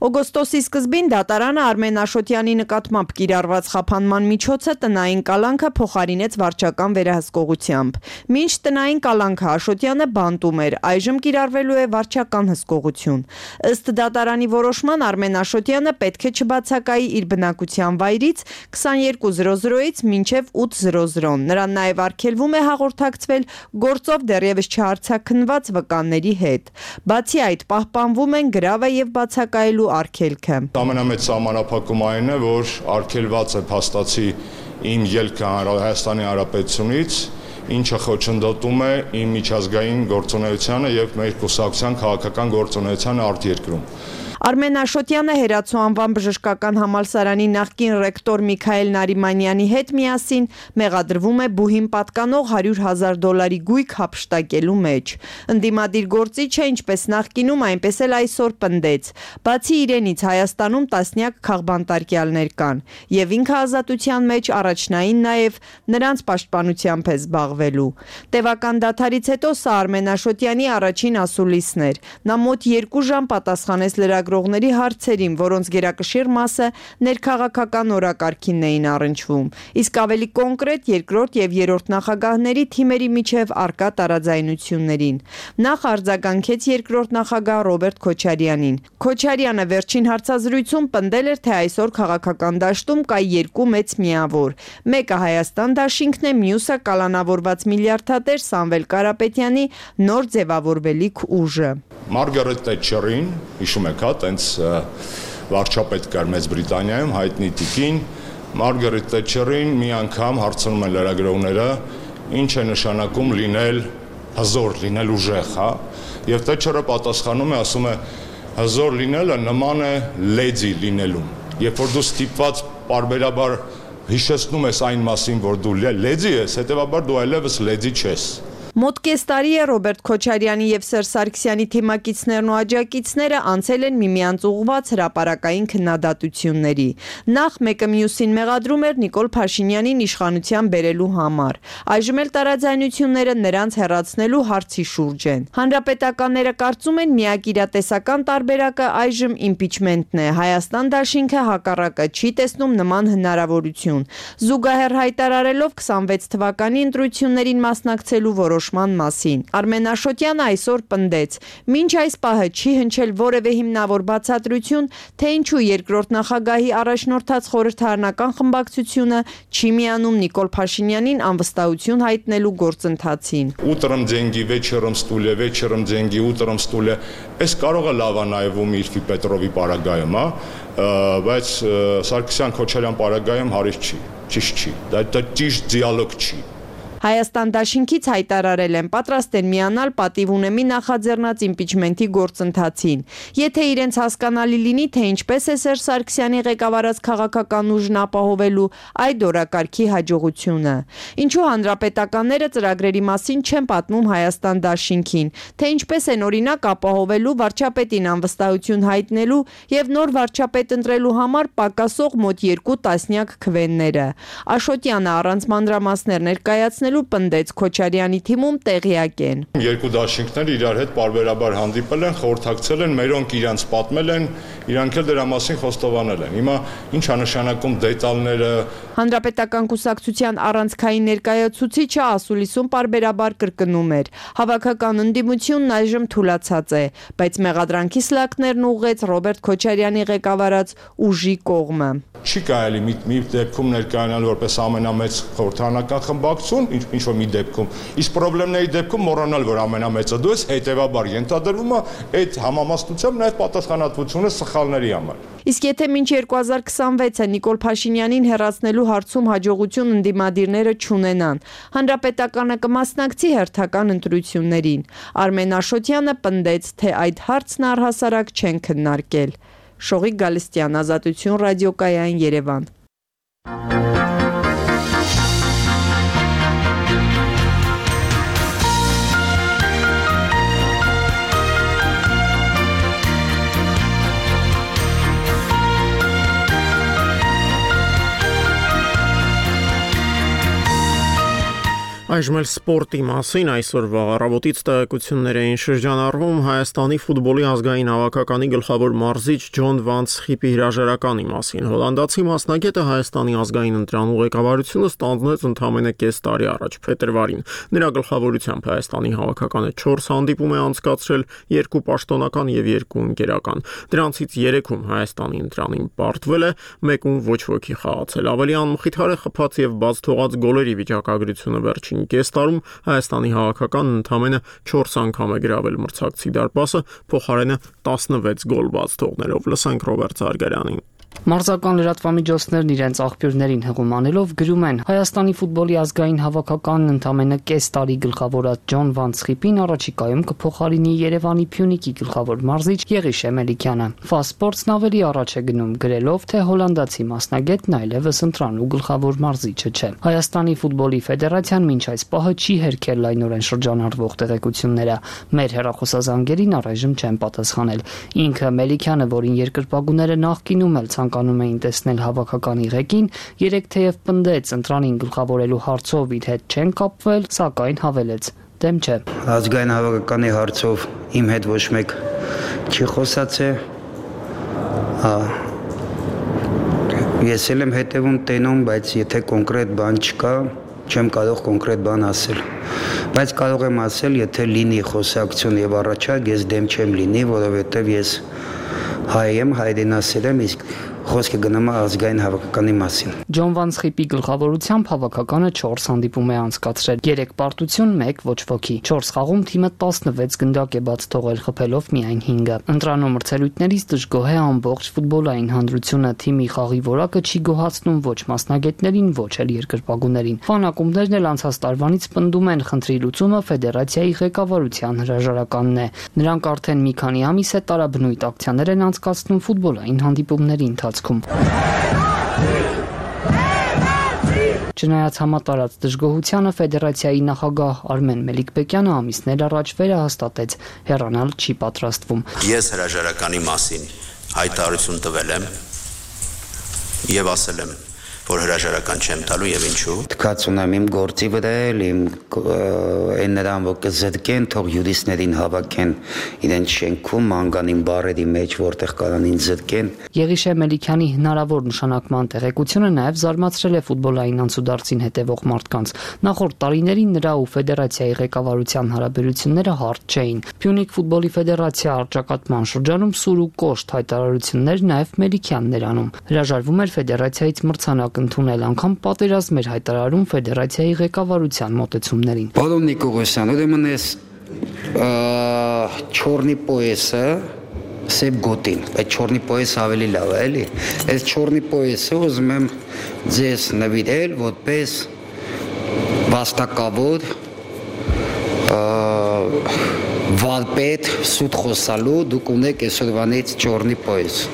[SPEAKER 6] Օգոստոսի սկզբին դատարանը Արմեն Աշոտյանի նկատմամբ կիրառված խափանման միջոցը տնային կալանքը փոխարինեց վարչական վերահսկողությամբ։ Մինչ տնային կալանքը Աշոտյանը բանտում էր, այժմ կիրառվելու է վարչական հսկողություն։ Ըստ դատարանի որոշման Արմեն Աշոտյանը պետք է չբացակայի իր բնակության վայրից 22:00-ից մինչև 8:00։ Նրան նաև արգելվում է հաղորդակցվել գործով դեռևս չհարցաքննված վկանների հետ։ Բացի այդ, պահպանվում են գրավը եւ բացակայելու արգելքը։
[SPEAKER 5] Ամենամեծ սահմանափակումը այն է, որ արգելված է փաստացի իմ ելքը Հայաստանի Հանրապետությունից, ինչը խոչընդոտում է իմ միջազգային գործունեությանը եւ մեր կուսակցության քաղաքական գործունեությանը արտերկրում։
[SPEAKER 6] Արմեն Աշոտյանը Հերացու անվան բժշկական համալսարանի նախկին ռեկտոր Միքայել Նարիմանյանի հետ միասին մեղադրվում է բուհին պատկանող $100,000 գույք հափշտակելու մեջ։ Ընդդիմադիր գործիչը ինչպես նախկինում, այնպես էլ այսօր պնդեց. բացի իրենից Հայաստանում տասնյակ քաղբանտարկյալներ կան, եւ ինքը ազատության մեջ առաջնային նաեւ նրանց պաշտպանությամբ է զբաղվելու։ Տևական դադարից հետո սա Արմեն Աշոտյանի առաջին ասուլիսն էր։ Նա մոտ 2 ժամ պատասխանեց լրագրողների հարցերին, որոնց գերակշիռ մասը ներքաղաքական օրակարգին էին առնչվում, իսկ ավելի կոնկրետ երկրորդ եւ երրորդ նախագահների թիմերի միջև արկա տարաձայնություններին։ Նախ արձագանքեց երկրորդ նախագահ Ռոբերտ Քոչարյանին։ Քոչարյանը վերջին հարցազրույցում պնդել էր, թե այսօր քաղաքական դաշտում կա երկու մեծ միավոր։ Մեկը Հայաստան դաշինքն է, մյուսը կալանավորված միլիարդատեր Սամվել Կարապետյանի նոր ձևավորվելիք ուժը։
[SPEAKER 5] Մարգարետ Թետչերին, հիշում եք, հա, տենց վարչապետ կար Մեծ Բրիտանիայում, հայտնի տիկին, Մարգարետ Թետչերին մի անգամ հարցնում են լրագրողները, ինչ է նշանակում լինել հզոր, լինել ուժեղ, հա, եւ Թետչերը պատասխանում է, ասում է, հզոր լինելը նման է լեդի լինելուն։ Երբ որ դու ստիպված պարբերաբար հիշեցնում ես այն մասին, որ դու լեդի ես, հետեւաբար դու այլևս լեդի չես։
[SPEAKER 6] Մոտ կես տարի է Ռոբերտ Քոչարյանի եւ Սերժ Սարգսյանի թիմակիցներն ու աջակիցները անցել են միմյանց ուղղված հրապարակային քննադատությունների։ Նախ մեկը մյուսին մեղադրում էր Նիկոլ Փաշինյանին իշխանության բերելու համար։ Այժմ էլ տարաձայնությունները նրանց հեռացնելու հարցի շուրջ են։ Հանրապետականները կարծում են միակ իրատեսական տարբերակը այժմ իմպիչմենտն է։ Հայաստան դաշինքը հակառակը չի տեսնում նման հնարավորություն։ Զուգահեռ հայտարարելով 26 թվականի ընտրություններին մասնակցելու մասին։ Արմեն Աշոտյանը այսօր պնդեց. մինչ այս պահը չի հնչել որևէ հիմնավոր բացատրություն, թե ինչու երկրորդ նախագահի առաջնորդած խորհրդարանական խմբակցությունը չի միանում Նիկոլ Փաշինյանին անվստահություն հայտնելու գործընթացին։
[SPEAKER 5] Утром деньги, вечером стулья, вечером деньги, утром стулья։ Այս կարող է լավ նայվում Իրֆի Պետրովի պարագայում, հա, բայց Սարգսյան-Քոչարյան պարագայում հարից չի, ճիշտ չի։ Դա ճիշտ դիալոգ չի։
[SPEAKER 6] Հայաստան դաշինքից հայտարարել են պատրաստ են միանալ պատիվ ունեմի նախաձեռնած իմպիչմենտի գործընթացին։ Եթե իրենց հասկանալի լինի, թե ինչպես է Սերժ Սարգսյանի ղեկավարած քաղաքական ուժն ապահովելու այդ օրակարգի հաջողությունը։ Ինչու հանրապետականները ծրագրերի մասին չեն պատմում Հայաստան դաշինքին, թե ինչպես են օրինակ ապահովելու վարչապետին անվստահություն հայտնելու եւ նոր վարչապետ ընտրելու համար պակասող մոտ 2 տասնյակ քվենները։ Աշոտյանը առանց մանրամասներ ներկայացնելու պնդեց Քոչարյանի թիմում տեղյակ են։
[SPEAKER 5] Երկու դաշինքներ իրար հետ պարբերաբար հանդիպել են, խորհրդակցել են, մերոնք իրանց պատմել են, իրանք էլ դրա մասին խոստովանել են։ Հիմա ի՞նչ է նշանակում դետալները։
[SPEAKER 6] Հանրապետական կուսակցության առանցքային ներկայացուցիչը ասուլիսում պարբերաբար կրկնում էր. հավաքական ընդդիմությունն այժմ թուլացած է, բայց մեղադրանքի սլակներն ուղղեց Ռոբերտ Քոչարյանի ղեկավարած ուժի կողմը։
[SPEAKER 5] Չի կարելի մի դեպքում ներկայանալ որպես ամենամեծ խորհրդարանական խմբակցություն, ինչ որ մի դեպքում, իսկ խնդիրների դեպքում մոռանալ, որ ամենամեծը դու ես, հետեւաբար ենթադրվում է այդ համամասնությամբ նաև պատասխանատվությունը սխալների համար։
[SPEAKER 6] Իսկ եթե մինչ 2026-ը Նիկոլ Փաշինյանին հեռացնելու հարցում հաջողություն ընդդիմադիրները չունենան, հանրապետականը կմասնակցի հերթական ընտրություններին։ Արմեն Աշոտյանը պնդեց, թե այդ հարցն առհասարակ չեն քննարկել։ Շողիկ Գալստյան, Ազատություն ռադիոկայան, Երևան։
[SPEAKER 1] Այժմ էլ սպորտի մասին այսօրվա առավոտից տեղեկություններ էին շրջանառվում Հայաստանի ֆուտբոլի ազգային հավաքականի գլխավոր մարզիչ Ջոն Վանց Խիպի հրաժարականի մասին։ Հոլանդացի մասնագետը Հայաստանի ազգային ընտրանու ղեկավարությունը ստանձնեց ընդամենը կես տարի առաջ փետրվարին։ Նրա գլխավորությամբ Հայաստանի հավաքականը 4 հանդիպում է անցկացրել, 2 պաշտոնական եւ 2 ընկերական։ Դրանցից 3-ում Հայաստանի ընտրանին պարտվել է, 1-ում ոչ ոքի խաղացել։ Ավելի անմխիթար է խփած եւ բաց թողած գոլերի վիճակագրությունը վերջին կես տարում Հայաստանի հավաքականն ընդամենը 4 անգամ է գրավել մրցակցի դարպասը, փոխարենը 16 գոլ բաց թողնելով։ Լսենք Ռոբերտ Զարգարյանին։
[SPEAKER 14] Մարզական լրատվամիջոցներն իրենց աղբյուրներին հղում անելով գրում են. Հայաստանի ֆուտբոլի ազգային հավաքականն ընդամենը կես տարի գլխավորած Ջոն Վանցխիպին առաջիկայում կփոխարինի Երևանի Փյունիկի գլխավոր մարզիչ Եղիշե Մելիքյանը։ Ֆասպորտսն ավելի առաջ է գնում գրելով, թե հոլանդացի մասնագետն այլևս ընտրանու գլխավոր մարզիչը չէ։ Հայաստանի ֆուտբոլի ֆեդերացիան մինչ այս պահը չի հերքել լայնորեն շրջանառվող տեղեկությունները։ Մեր հեռախոսազանգերին առայժմ չեն պատասխանել։ Ինքը Մելիքյանը, որին երկրպագուները նախկինում էլ ցանկանում էին տեսնել հավաքականի ղեկին, երեք թեև պնդեց ընտրանին գլխավորելու հարցով իր հետ չեն կապվել, սակայն հավելեց. դեմ չէ։
[SPEAKER 15] Ազգային հավաքականի հարցով իմ հետ ոչ մեկ չի խոսացել։ Ես էլ եմ հետևում տենում, բայց եթե կոնկրետ բան չկա, չեմ կարող կոնկրետ բան ասել։ Բայց կարող եմ ասել, եթե լինի խոսակցություն եւ առաջարկ, ես դեմ չեմ լինի, որովհետեւ ես հայ եմ, հայրենասեր եմ, իսկ խոսքը գնում է ազգային հավաքականի մասին։
[SPEAKER 14] Ջոն Վանցխիպի գլխավորությամբ հավաքականը 4 հանդիպում է անցկացրել։ 3 պարտություն, 1 ոչ ոքի։ 4 խաղում թիմը 16 գնդակ է բաց թողել, խփելով միայն 5-ը։ Ընտրանո մրցելույթներից դժգոհ է ամբողջ ֆուտբոլային հանրությունը, թիմի խաղի որակը չի գոհացնում ոչ մասնագետներին, ոչ էլ երկրպագուներին։ Ֆանակումներն էլ անցած տարվանից պնդում են, խնդրի լուծումը ֆեդերացիայի ղեկավարության հրաժարականն է։ Նրանք արդեն մի քանի ամիս է տարաբնույթ ակցիաներ են անցկացնում ֆուտբոլային հանդիպումների ընթացքում։ Չնայած համատարած դժգոհությանը ֆեդերացիայի նախագահ Արմեն Մելիքբեկյանը ամիսներ առաջ վերահաստատեց, հեռանալ չի պատրաստվում։
[SPEAKER 16] Ես հրաժարականի մասին հայտարարություն տվել եմ եւ ասել եմ, որ հրաժարական չեմ տալու եւ ինչու։
[SPEAKER 15] Թքած ունեմ իմ գործի վրա էլ, իմ այն նրան որ կզրկեն, թող յուրիստներին հավաքեն իրենց շենքում, անգանին բարերի մեջ, որտեղ կարան ինձ զրկեն։
[SPEAKER 14] Եղիշե Մելիքյանի հնարավոր նշանակման տեղեկությունը նաև զարմացրել է ֆուտբոլային անցուդարձին հետևող մարդկանց։ Նախորդ տարիներին նրա ու ֆեդերացիայի ղեկավարության հարաբերությունները հարթ չէին։ Փյունիկ ֆուտբոլի ֆեդերացիա առճակատման շրջանում սուր ու կոշտ հայտարարություններ նաև Մելիքյանն էր անում։ Հրաժարվում էր ֆեդերացիայից մրցանակ ընդունել, անգամ պատերազմ էր հայտարարում ֆեդերացիայի ղեկավարության մոտեցումներին։
[SPEAKER 15] Պարոն Նիկողոսյան, ուրեմն ես չորնի պոեսը սև գոտին, այդ չորնի պոեսը ավելի լավ է, էլի։ Այս չորնի պոեսը ուզում եմ ձեզ նվիրել որպես վաստակավոր վարպետ սուտ խոսալու, դուք ունեք այսօրվանից չորնի պոես։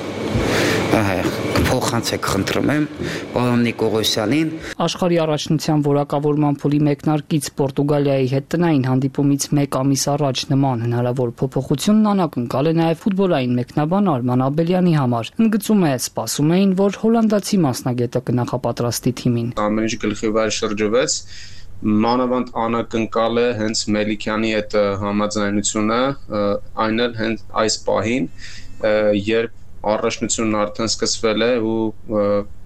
[SPEAKER 15] Փոխանցեք խնդրում եմ պարոն Նիկողոսյանին։
[SPEAKER 14] Աշխարհի առաջնության որակավորման փուլի մեկնարկից Պորտուգալիայի հետ տնային հանդիպումից 1 ամիս առաջ նման հնարավոր փոփոխությունն անակնկալ է նաև ֆուտբոլային մեկնաբան Արման Աբելյանի համար։ Ընդգծում է, սպասում էին, որ հոլանդացի մասնագետը կնախապատրաստի թիմին։
[SPEAKER 17] Ամեն ինչ գլխի վրա շրջվեց, մանավանդ անակնկալ է հենց Մելիքյանի հետ համաձայնությունը, այն էլ հենց այս պահին, երբ առաջնությունն արդեն սկսվել է ու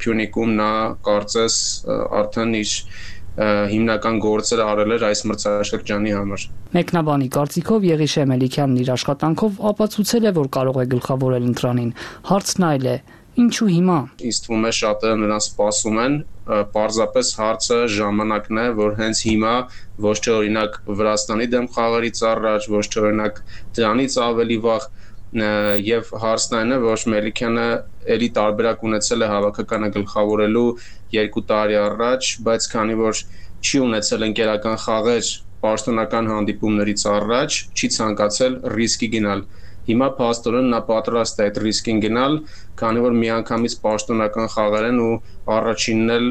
[SPEAKER 17] Փյունիկում նա կարծես արդեն իր հիմնական գործերը արել էր այս մրցաշրջանի համար։
[SPEAKER 14] Մեկնաբանի կարծիքով Եղիշե Մելիքյանն իր աշխատանքով ապացուցել է, որ կարող է գլխավորել ընտրանին։ Հարցն այլ է. ինչու հիմա։
[SPEAKER 17] Ինձ թվում է շատերը նրան սպասում են, պարզապես հարցը ժամանակն է, որ հենց հիմա ոչ թե օրինակ Վրաստանի դեմ խաղերից առաջ, ոչ թե օրինակ դրանից ավելի վաղ եւ հարցն այն է, որ Մելիքյանը էլի տարբերակ ունեցել է հավաքականը գլխավորելու 2 տարի առաջ, բայց քանի որ չի ունեցել ընկերական խաղեր պաշտոնական հանդիպումներից առաջ, չի ցանկացել ռիսկի գնալ։ Հիմա փաստորեն նա պատրաստ է այդ ռիսկին գնալ, քանի որ միանգամից պաշտոնական խաղեր են ու առաջինն էլ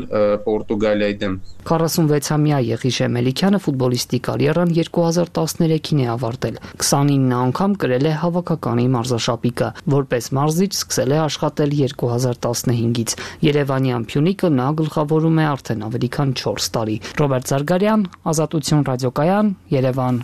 [SPEAKER 17] Պորտուգալիայի դեմ։
[SPEAKER 14] 46-ամյա Եղիշե Մելիքյանը ֆուտբոլիստի կարիերան 2013-ին է ավարտել։ 29 անգամ կրել է հավաքականի մարզաշապիկը։ Որպես մարզիչ սկսել է աշխատել 2015-ից։ Երևանյան Փյունիկը նա գլխավորում է արդեն ավելի քան 4 տարի։ Ռոբերտ Զարգարյան, Ազատություն ռադիոկայան, Երևան։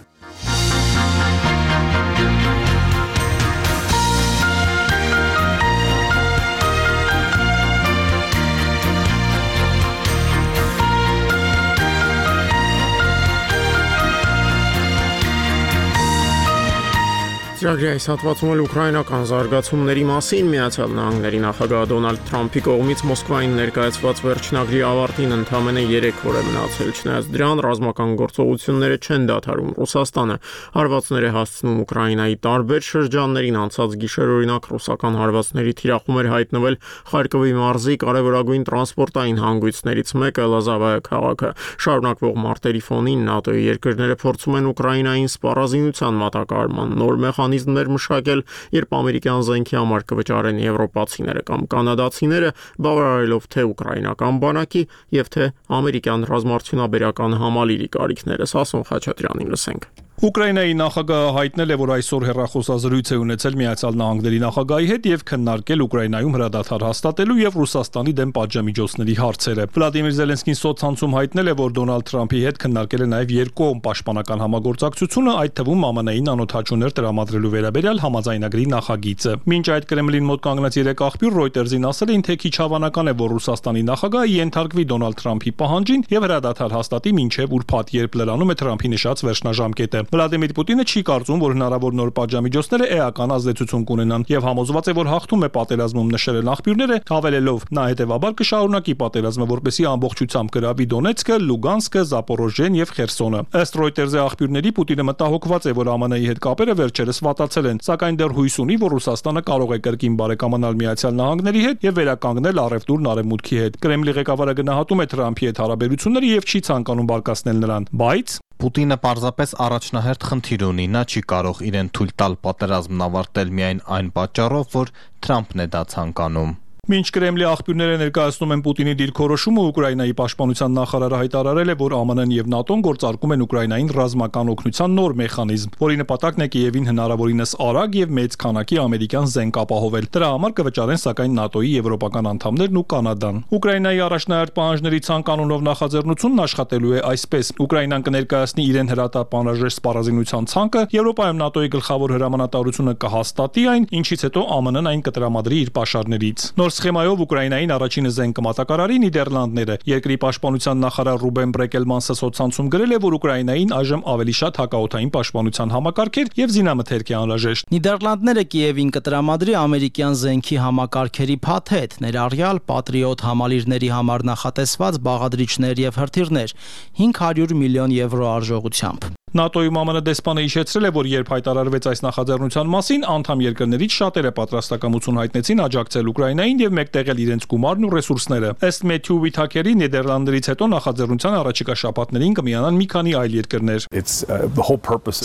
[SPEAKER 1] Ծրագրի այս հատվածում էլ ուկրաինական զարգացումների մասին Միացյալ Նահանգների նախագահ Դոնալդ Թրամփի կողմից Մոսկվային ներկայացված վերջնագրի ավարտին ընդամենը 3 օր է մնացել, չնայած դրան ռազմական գործողությունները չեն դադարում։ Ռուսաստանը հարվածներ է հասցնում Ուկրաինայի տարբեր շրջաններին, անցած գիշեր օրինակ ռուսական հարվածների թիրախում էր հայտնվել Խարկովի մարզի կարևորագույն տրանսպորտային հանգույցներից մեկը Լազավայա քաղաքը։ Շարունակվող մարտերի ֆոնին ՆԱՏՕ-ի երկրները փորձում են Ուկրաինային սպառազինության մատակարարման նոր մեխանիզմներ մշակել, երբ ամերիկյան զենքի համար կվճարեն եվրոպացիները կամ կանադացիները, բավարարելով թե ուկրաինական բանակի եւ թե ամերիկյան ռազմարդյունաբերական համալիրի կարիքները։ Սասուն Խաչատրյանին լսենք։
[SPEAKER 18] Ուկրաինայի նախագահը հայտնել է, որ այսօր հեռախոսազրույց է ունեցել Միացյալ Նահանգների նախագահի հետ եւ քննարկել Ուկրաինայում հրադադար հաստատելու եւ Ռուսաստանի դեմ պատժամիջոցների հարցերը։ Վլադիմիր Զելենսկին սոցցանցում հայտնել է, որ Դոնալդ Թրամփի հետ քննարկել է նաեւ երկկողմ պաշտպանական համագործակցությունը, այդ թվում ԱՄՆ-ին անօթաչուներ տրամադրելու վերաբերյալ համաձայնագրի նախագիծը։ Մինչ այդ Կրեմլին մոտ կանգնած 3 աղբյուր Reuters-ին ասել էին, թե քիչ հավանական է, որ Ռուսաստանի նախագահը ենթարկվի Դոնալդ Թրամփի պահանջին եւ հրադադար հաստատի մինչեւ ուրբաթ, երբ լրանում է Թրամփի նշած վերջնաժամկետը։ Վլադիմիր Պուտինը չի կարծում, որ հնարավոր նոր պատժամիջոցները էական ազդեցություն կունենան եւ համոզված է, որ հաղթում է պատերազմում, նշել են աղբյուրները, հավելելով նա հետեւաբար կշարունակի պատերազմը, որպեսզի ամբողջությամբ գրավի Դոնեցկը, Լուգանսկը, Զապորոժիեն եւ Խերսոնը։ Ըստ Reuters-ի աղբյուրների Պուտինը մտահոգված է, որ ԱՄՆ-ի հետ կապերը վերջերս վատացել են, սակայն դեռ հույս ունի, որ Ռուսաստանը կարող է կրկին բարեկամանալ Միացյալ Նահանգների հետ եւ վերականգնել առևտուրն արևմուտքի հետ։ Կրեմլի ղեկավարը գնահատում է Թրամփի հետ հարաբերությունները եւ չի ցանկանում բարկացնել նրան, բայց
[SPEAKER 19] Պուտինը պարզապես առաջնահերթ խնդիր ունի, նա չի կարող իրեն թույլ տալ պատերազմն ավարտել միայն այն պատճառով, որ Թրամփն է դա ցանկանում։
[SPEAKER 18] Մինչ Կրեմլի աղբյուրները ներկայացնում են Պուտինի դիրքորոշումը, Ուկրաինայի պաշտպանության նախարարը հայտարարել է, որ ԱՄՆ-ն եւ ՆԱՏՕ-ն գործարկում են Ուկրաինային ռազմական օգնության նոր մեխանիզմ, որի նպատակն է Կիևին հնարավորինս արագ եւ մեծ քանակի ամերիկյան զենք ապահովել։ Դրա համար կվճարեն սակայն ՆԱՏՕ-ի եվրոպական անդամներն ու Կանադան։ Ուկրաինայի առաջնահերթ պահանջների ցանկանունով նախաձեռնությունն աշխատելու է այսպես. Ուկրաինան կներկայացնի իրեն հրատապ անհրաժեշտ սպառազինության ցանկը, Եվրոպայում ՆԱՏՕ-ի գլխավոր հրամանատարությունը կհաստատի այն, ինչից հետո ԱՄՆ-ն այն կտրամադրի իր պաշարներից։ Նոր սխեմայով Ուկրաինային առաջինը զենք կմատակարարի Նիդերլանդները։ Երկրի պաշտպանության նախարար Ռուբեն Բրեկելմանսը սոցցանցում գրել է, որ Ուկրաինային այժմ ավելի շատ հակաօդային պաշտպանության համակարգեր եւ զինամթերք է անհրաժեշտ։
[SPEAKER 20] Նիդերլանդները Կիևին կտրամադրի ամերիկյան զենքի համակարգերի փաթեթ, ներառյալ Patriot համալիրների համար նախատեսված բաղադրիչներ եւ հրթիռներ 500 միլիոն եվրո արժողությամբ։
[SPEAKER 18] ՆԱՏՕ-ի ԱՄՆ դեսպանը հիշեցրել է, որ երբ հայտարարվեց այս նախաձեռնության մասին, անդամ երկրներից շատերը պատրաստակամություն հայտնեցին աջակցել Ուկրաինային եւ մեկտեղել իրենց գումարն ու ռեսուրսները։ Ըստ Մեթյու Վիթաքերի, Նիդերլանդներից հետո նախաձեռնության առաջիկա շաբաթներին կմիանան մի քանի այլ երկրներ։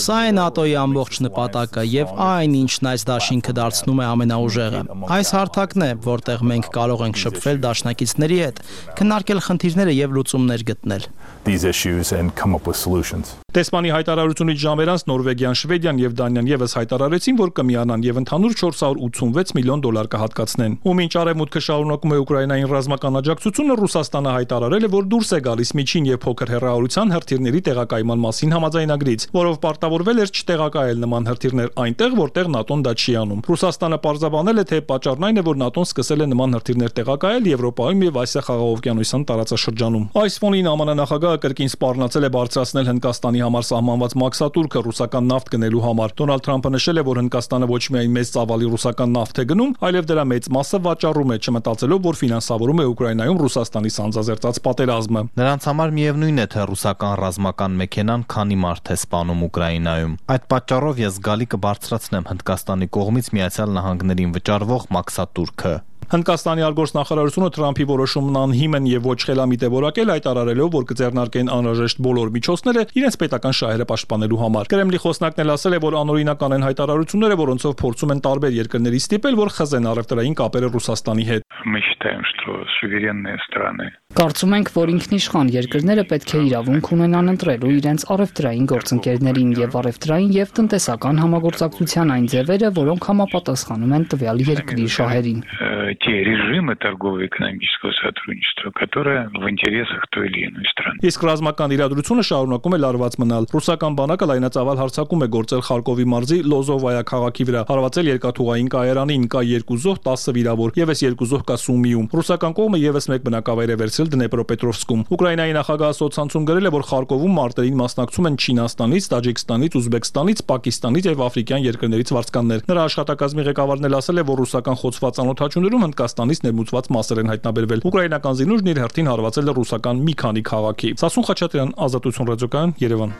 [SPEAKER 20] Սա է ՆԱՏՕ-ի ամբողջ նպատակը եւ այն, ինչն այս դաշինքը դարձնում է ամենաուժեղը։ Այս հարթակն է, որտեղ մենք կարող ենք շփվել դաշնակիցների հետ, քննարկել խնդիրները եւ լուծումներ գտնել։
[SPEAKER 18] Դեսպանի հայտարարությունից ժամեր անց Նորվեգիան, Շվեդիան եւ Դանիան եւս հայտարարեցին, որ կմիանան եւ ընդհանուր 486 միլիոն դոլար կհատկացնեն։ Ու մինչ արևմուտքը շարունակում է Ուկրաինային ռազմական աջակցությունը, Ռուսաստանը հայտարարել է, որ դուրս է գալիս միջին եւ փոքր հեռահարության հրթիռների տեղակայման մասին համաձայնագրից, որով պարտավորվել էր չտեղակայել նման հրթիռներ այնտեղ, որտեղ ՆԱՏՕ-ն դա չի անում։ Ռուսաստանը պարզաբանել է, թե պատճառն այն է, որ ՆԱՏՕ-ն սկսել է նման հրթիռներ տեղակայել Եվրոպայում եւ Ասիա խաղաղօվկիանոսյան տարածաշրջանում։ Այս ֆոնին ԱՄՆ նախագահը կրկին սպառնացել է բարձրացնել Հնդկաստանի համար սահմանված մաքսատուրքը ռուսական նավթ գնելու համար։ Դոնալդ Թրամփը նշել է, որ Հնդկաստանը ոչ միայն մեծ ծավալի ռուսական նավթ է գնում, այլև դրա մեծ մասը վաճառում է, չմտածելով, որ ֆինանսավորում է Ուկրաինայում Ռուսաստանի սանձազերծած պատերազմը։
[SPEAKER 19] Նրանց համար միևնույն է, թե ռուսական ռազմական մեքենան քանի մարդ է սպանում Ուկրաինայում։ Այդ պատճառով ես զգալի կբարձրացնեմ Հնդկաստանի կողմից Միացյալ Նահանգներին վճարվող մաքսատուրքը։
[SPEAKER 18] Հնդկաստանի արտգործնախարարությունը Թրամփի որոշումն անհիմն եւ ոչ խելամիտ է որակել, հայտարարելով, որ կձեռնարկեն անհրաժեշտ բոլոր միջոցները իրենց պետական շահերը պաշտպանելու համար։ Կրեմլի խոսնակն էլ ասել է, որ անօրինական են հայտարարությունները, որոնցով փորձում են տարբեր երկրների ստիպել, որ խզեն առևտրային կապերը Ռուսաստանի հետ։
[SPEAKER 14] Կարծում ենք, որ ինքնիշխան երկրները պետք է իրավունք ունենան ընտրելու իրենց առևտրային գործընկերներին եւ առևտրային եւ տնտեսական համագործակցության այն ձևերը, որոնք համապատասխանում են տվյալ երկրի շահերին։
[SPEAKER 21] те режимы торгово-экономического сотрудничества, которые в интересах той или иной страны.
[SPEAKER 18] Իսկ ռազմական իրադրությունը շարունակում է լարված մնալ։ Ռուսական բանակը լայնածավալ հարձակում է գործել Խարկովի մարզի Լոզովայա քաղաքի վրա, հարվածել երկաթուղային կայարանին, կա 2 զոհ, 10 վիրավոր, եւս 2 զոհ կա Սումիում։ Ռուսական կողմը եւս մեկ բնակավայր է վերցրել Դնեպրոպետրովսկում։ Ուկրաինայի նախագահը սոցցանցում գրել է, որ Խարկովում մարտերին մասնակցում են Չինաստանից, Տաջիկստանից, Ուզբեկստանից, Պակիստանից եւ աֆրիկյան երկրներից վարձկաններ։ Նրա աշխատակազմի ղեկավարն էլ ասել է, որ ռուսական խոցված անօդաչուներում Հնդկաստանից ներմուծված մասեր են հայտնաբերվել։ Ուկրաինական զինուժն իր հերթին հարվածել է ռուսական մի քանի քաղաքի։ Սասուն Խաչատրյան, Ազատություն ռադիոկայան, Երևան։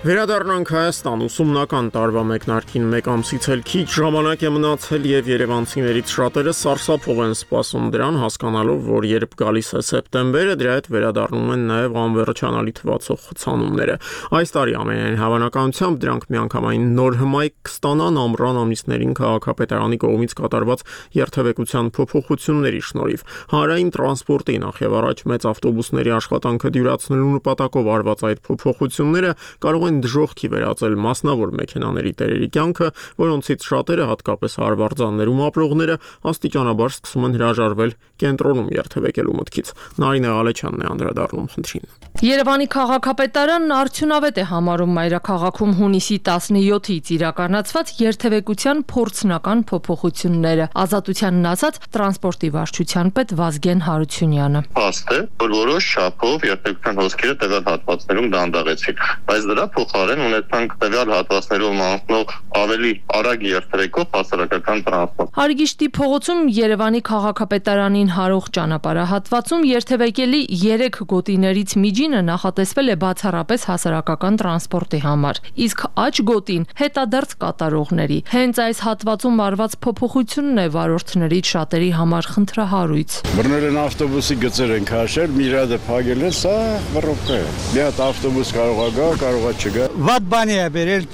[SPEAKER 1] Վերադառնանք Հայաստան, ուսումնական տարվա մեկնարկին մեկ ամսից էլ քիչ ժամանակ է մնացել եւ երևանցիներից շատերը սարսափով են սպասում դրան, հասկանալով, որ երբ գալիս է սեպտեմբերը, դրա հետ վերադառնում են նաեւ անվերջանալի թվացող խցանումները։ Այս տարի ամենայն հավանականությամբ դրանք միանգամայն նոր հմայք կստանան ամռան ամիսներին քաղաքապետարանի կողմից կատարված երթևեկության փոփոխությունների շնորհիվ։ Հանրային տրանսպորտի նախ եւ առաջ մեծ ավտոբուսների աշխատանքը դյուրացնելու նպատակով արված այդ փոփոխությունները կարող են դժոխքի վերածել մասնավոր մեքենաների տերերի կյանքը, որոնցից շատերը, հատկապես հարվարձաններում ապրողները, աստիճանաբար սկսում են հրաժարվել կենտրոնում երթևեկելու մտքից։ Նարինե Ալեչյանն է անդրադառնում խնդրին։
[SPEAKER 22] Երևանի քաղաքապետարանն արդյունավետ է համարում մայրաքաղաքում հունիսի 17-ից իրականացված երթևեկության փորձնական փոփոխությունները։ Ազատությանն ասած տրանսպորտի վարչության պետ Վազգեն Հարությունյանը։
[SPEAKER 23] Փաստ է, որ որոշ չափով երթևեկության հոսքերը տվյալ հատվածներում դանդաղեցին, բայց դրա փոխարեն ունեցանք տվյալ հատվածներում անցնող ավելի արագ երթևեկող հասարակական տրանսպորտ։
[SPEAKER 22] Հարգիշտի փողոցում Երևանի քաղաքապետարանին հարող ճանապարհահատվածում երթևեկելի 3 գոտիներից միջինը նախատեսվել է բացառապես հասարակական տրանսպորտի համար, իսկ աջ գոտին հետադարձ կատարողների։ Հենց այս հատվածում արված փոփոխությունն է վարորդներից շատերի համար խնդրահարույց։
[SPEAKER 9] Բռնել են ավտոբուսի գծեր են քաշել, մի հատ փակել են, սա բռոպկա է։ Մի հատ ավտոբուս կարող է գա, կարող է չգա։
[SPEAKER 24] Վատ բանի է բերել,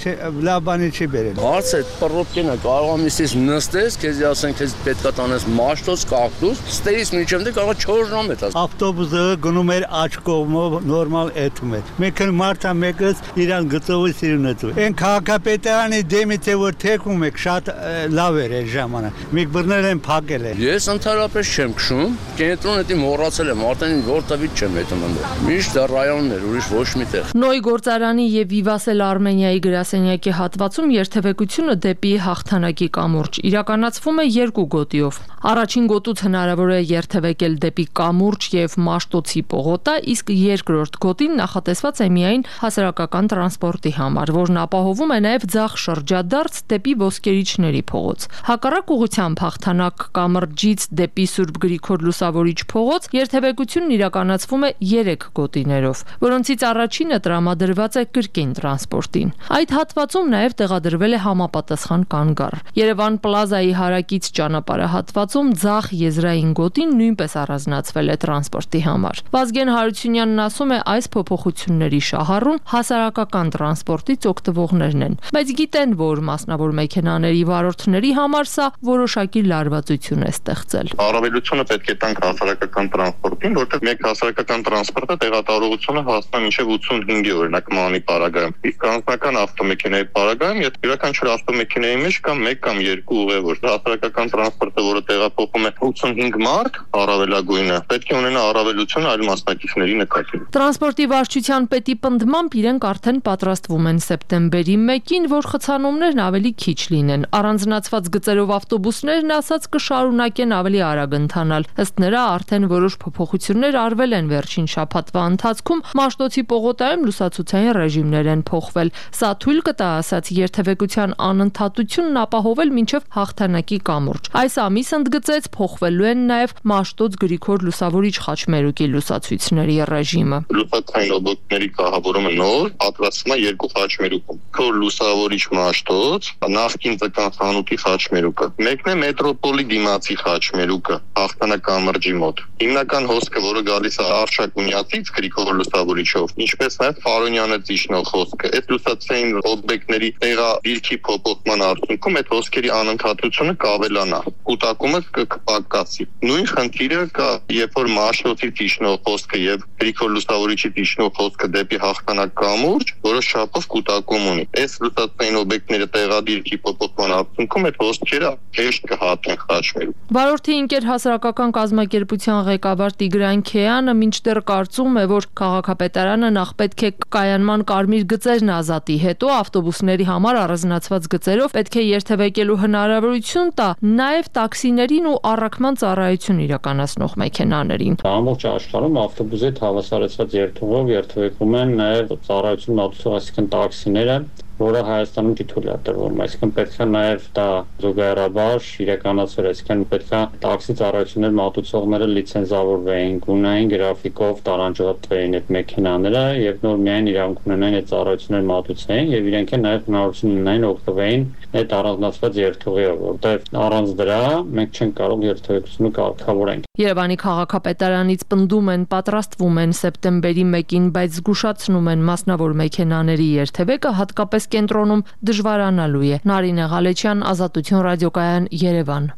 [SPEAKER 24] լավ բանի չի բերել։
[SPEAKER 8] Հարցը բռոպկեն է, կարող է միսից նստես, քեզ ասեն, քեզ պետքա տանես մաշտոց, կակտուս, ստերից միջև դե կարող 4 ժամ է տաս։
[SPEAKER 24] Ավտոբուսը գնում էր աջ կողմով նորմալ էթում էր։ Մեկ մարդա մեկս իրան գծովի սիրուն է։ Այն քաղաքապետարանի դեմից է որ թեքում եք շատ լավ էր այդ ժամանակ։ Մեկ բռնել են փակել են։
[SPEAKER 8] Ես ընդհանրապես չեմ քշում, կենտրոնը դի մոռացել եմ, արդեն որտեղից չեմ հետում ընդ։ Միշտ դա ռայոններ, ուրիշ ոչ մի տեղ։
[SPEAKER 22] Նոյ գործարանի եւ Վիվասել Արմենիայի գրասենյակի հատվածում երթևեկությունը դեպի հաղթանակի կամուրջ իրականացվում է 2 գոտիով։ Առաջին գոտուց հնարավոր է երթևեկել դեպի կամուրջ եւ Մաշտոցի պողոտա, իսկ երկրորդ գոտին նախատեսված է միայն հասարակական տրանսպորտի համար, որն ապահովում է նաեւ ձախ շրջադարձ դեպի Ոսկերիչների փողոց։ Հակառակ ուղղությամբ հաղթանակ կամրջից դեպի Սուրբ Գրիգոր Լուսավորիչ փողոց երթևեկությունն իրականացվում է 3 գոտիներով, որոնցից առաջինը տրամադրված է կրկին տրանսպորտին։ Այդ հատվածում նաեւ տեղադրվել է համապատասխան կանգառ։ Երևան Պլազայի հարակից ճանապարհահատվածում ձախ եզրային գոտին նույնպես առանձնացվել է տրանսպորտի համար։ Վազգեն Հարությունյանն ասում է, այս փոփոխությունների շահառուն հասարակական տրանսպորտից օգտվողներն են, բայց գիտեն, որ մասնավոր մեքենաների վարորդների համար սա որոշակի լարվածություն է ստեղծել։
[SPEAKER 23] Առավելությունը պետք է տանք հասարակական տրանսպորտին, որտեղ մեկ հասարակական տրանսպորտը տեղատարողությունը հասնում մինչև 85 է օրինակ մանի պարագայում։ Իսկ անձնական ավտոմեքենայի պարագայում յուրաքանչյուր ավտոմեքենայի մեջ կա 1 կամ 2 ուղևոր։ Հասարակական տրանսպորտը, որը տեղափոխում է 85 մարդ, առավելագույնը, պետք է ունենա առավելություն այլ մասնակիցների նկատմամբ։
[SPEAKER 22] Տրանսպորտի վարչության պետի պնդմամբ իրենք արդեն պատրաստվում են սեպտեմբերի 1-ին, որ խցանումներն ավելի քիչ լինեն։ Առանձնացված գծերով ավտոբուսներն ասած կշարունակեն ավելի արագ ընթանալ։ Ըստ նրա արդեն որոշ փոփոխություններ արվել են վերջին շաբաթվա ընթացքում, Մաշտոցի պողոտայում լուսացուցային ռեժիմներ են փոխվել։ Սա թույլ կտա ասած երթևեկության անընդհատությունն ապահովել մինչև հաղթանակի կամուրջ։ Այս ամիս ընդգծեց փոխվելու են նաև Մաշտոց Գրիգոր Լուսավորիչ խաչմերուկի լուսացույցների ռեժիմը։
[SPEAKER 23] Լուսացային օբյեկտների կահավորումը նոր պատրաստվում է 2 խաչմերուկում։ Քոր Լուսավորիչ Մաշտոց, նախկին Տկան խանութի խաչմերուկը։ Մեկն է մետրոպոլի դիմացի խաչմերուկը, հաղթանակ կամրջի մոտ։ Հիմնական հոսքը, որը գալիս է Արշակունյացից Գրիգոր Լուսավորիչով, ինչպես նաև Ֆարոնյանը Ծիշնով տիրող խոսքը։ Այդ լուսացային օբյեկտների տեղադիրքի փոփոխման արդյունքում այդ հոսքերի անընդհատությունը կավելանա, կուտակումը կպակասի։ Նույն խնդիրը կա, երբ որ մաշնոցի տիշնող խոսքը եւ գրիգորլուսավորիչի տիշնող խոսքը դեպի հաղթանակ կամուրջ, որը շապով կուտակում ունի։ Այս լուսացային օբյեկտները տեղադիրքի փոփոխման արդյունքում այդ հոսքերը հեշտ կհատեն խաչմերուկ։
[SPEAKER 22] Վարորդի ինկեր հասարակական կազմակերպության ղեկավար Տիգրան Քեյանը մինչդեռ կարծում է, որ քաղաքապետարանը նախ պետք է կայանման կարմիր գծերն ազատի, հետո ավտոբուսների համար առանձնացված գծերով պետք է երթևեկելու հնարավորություն տա նաև տաքսիներին ու առաքման ծառայություն իրականացնող մեքենաներին։
[SPEAKER 2] Ամբողջ աշխարհում ավտոբուսի հավասարեցված երթուղով երթևեկում են նաև ծառայություն մատուցող, այսինքն տաքսիները, որը Հայաստանում թույլ է տրվում, այսինքն պետք է նաև դա զուգահեռաբար իրականացվեր, այսինքն պետք է տաքսի ծառայություններ մատուցողները լիցենզավորվեին, ունենային գրաֆիկով տարանջատվեին այդ մեքենաները եւ նոր միայն իրավունք ունենային այդ ծառայություններ մատուցեին եւ իրենք էլ նաև հնարավորություն ունենային օգտվեին այդ առանձնացված երթուղիով, որտեղ առանց դրա մենք չենք կարող երթևեկությունը կարգավորենք։
[SPEAKER 22] Երևանի քաղաքապետարանից պնդում են, պատրաստվում են սեպտեմբերի 1-ին, բայց զգուշացնում են մասնավոր մեքենաների երթևեկը հատկապես կենտրոնում դժվարանալու է։ Նարինե Ղալեչյան, Ազատություն ռադիոկայան, Երևան։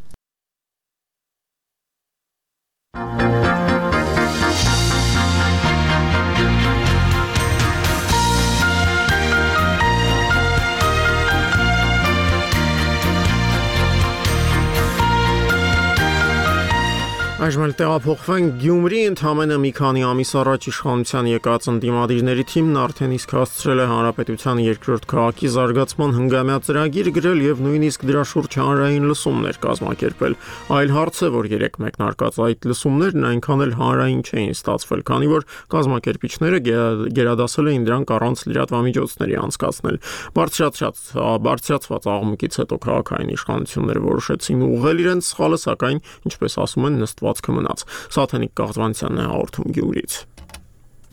[SPEAKER 1] Այժմ էլ տեղափոխվենք Գյումրի, ընդամենը մի քանի ամիս առաջ իշխանության եկած ընդդիմադիրների թիմն արդեն իսկ հասցրել է հանրապետության երկրորդ քաղաքի զարգացման հնգամյա ծրագիր գրել եւ նույնիսկ դրա շուրջ հանրային լսումներ կազմակերպել։ Այլ հարց է, որ երեք մեկնարկած այդ լսումներն այնքան էլ հանրային չէին ստացվել, քանի որ կազմակերպիչները գերադասել էին դրանք առանց լրատվամիջոցների անցկացնել։ Բարձրացված աղմուկից հետո քաղաքային իշխանությունները որոշեցին ուղղել իրենց սխալը, սակայն, ինչպես ասում են, նստվածքը մնաց։ Սաթենիկ Կաղձվանցյանն է հաղորդում Գյումրից։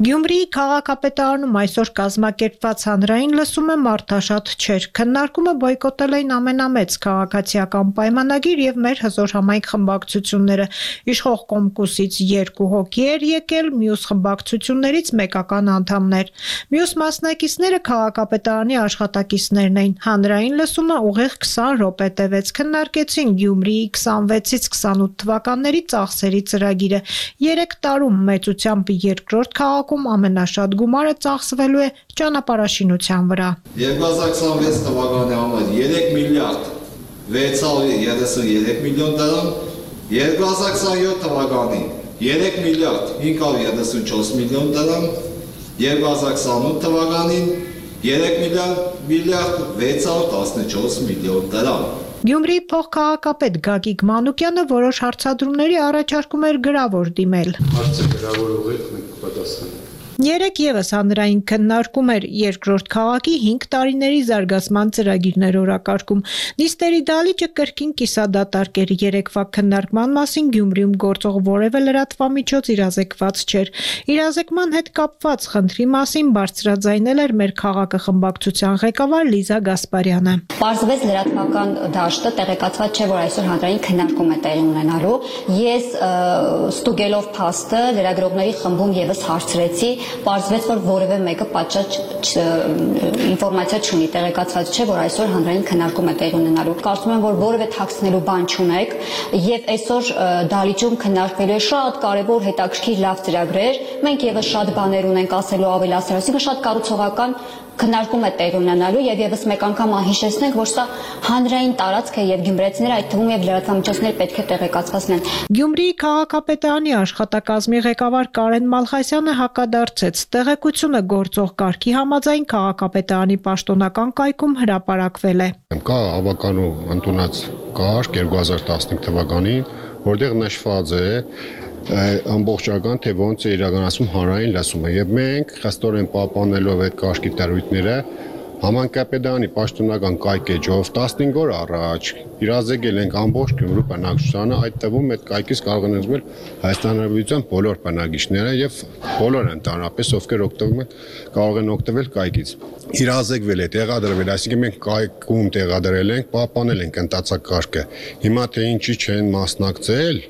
[SPEAKER 3] Գյումրիի քաղաքապետարանում այսօր կազմակերպված հանրային լսումը մարդաշատ չէր։ Քննարկումը բոյկոտել էին ամենամեծ քաղաքացիական պայմանագիր եւ մեր հզոր համայնք խմբակցությունները։ Իշխող Կոմկուսից 2 հոգի էր եկել, մյուս խմբակցություններից մեկական անդամներ։ Մյուս մասնակիցները քաղաքապետարանի աշխատակիցներն էին։ Հանրային լսումը ուղիղ 20 րոպե տևեց։ Քննարկեցին Գյումրիի 26-ից 28 թվականների ծախսերի ծրագիրը։ 3 տարում մեծությամբ երկրորդ քաղաք ամենաշատ գումարը ծախսվելու է ճանապարհաշինության վրա։
[SPEAKER 4] 2026 թվականի համար 3 միլիարդ 633 միլիոն դրամ, 2027 թվականին 3 միլիարդ 534 միլիոն դրամ, 2028 թվականին 3 միլիարդ 614 միլիոն դրամ։
[SPEAKER 3] Գյումրիի փոխքաղաքապետ Գագիկ Մանուկյանը որոշ հարցադրումների առաջարկում էր գրավոր դիմել։
[SPEAKER 4] Հարցը գրավոր ուղիղ մենք կպատասխանենք։
[SPEAKER 3] Երեք ևս հանրային քննարկում էր երկրորդ քաղաքի 5 տարիների զարգացման ծրագիրներ օրակարգում։ Նիստերի դալիճը կրկին կիսադատարկ էր։ Երեկվա քննարկման մասին Գյումրիում գործող որևէ լրատվամիջոց իրազեկված չէր։ Իրազեկման հետ կապված խնդրի մասին բարձրաձայնել էր մեր քաղաքը խմբակցության ղեկավար Լիզա Գասպարյանը։
[SPEAKER 10] Պարզվեց լրատվական դաշտը տեղեկացված չէ, որ այսօր հանրային քննարկում է տեղի ունենալու։ Ես ստուգելով փաստը լրագրողների խմբում ևս հարցրեցի, պարզվեց, որ որևէ մեկը պատշաճ ինֆորմացիա չունի, տեղեկացված չէ, որ այսօր հանրային քննարկում է տեղի ունենալու։ Կարծում եմ, որ որևէ թաքցնելու բան չունեք, եւ այսօր դալիճում քննարկվելու է շատ կարեւոր հետաքրքիր լավ ծրագրեր։ Մենք ևս շատ բաներ ունենք ասելու, ավելացնելու, այսինքն շատ կառուցողական քննարկում է տեղի ունենալու եւ ևս մեկ անգամ հիշեցնենք, որ սա հանրային տարածք է եւ գյումրեցիները, այդ թվում եւ լրատվամիջոցները պետք է տեղեկացված լինեն։
[SPEAKER 3] Գյումրիի քաղաքապետարանի աշխատակազմի ղեկավար Կարեն Մալխասյանը հակադարձեց. տեղեկությունը գործող կարգի համաձայն քաղաքապետարանի պաշտոնական կայքում հրապարակվել է։
[SPEAKER 25] Կա ավականու ընդունած կարգ 2015 թվականին, որտեղ նշված է ամբողջական թե ոնց է իրականացում հանրային լսումը եւ մենք խստորեն պահպանելով այդ կարգի տարույթները համանքապետարանի պաշտոնական կայքեջով 15 օր առաջ իրազեկել ենք ամբողջ Գյումրու բնակչությանը, այդ թվում այդ կայքից կարող են զբաղվել Հայաստան Հանրապետության բոլոր բնակիչները եւ բոլոր ընդհանրապես ովքեր օգտվում են կարող են օգտվել կայքից։ Իրազեկվել է, տեղադրվել, այսինքն մենք կայքում տեղադրել ենք, պահպանել ենք ընթացակարգը։ Հիմա թե ինչի չեն մասնակցել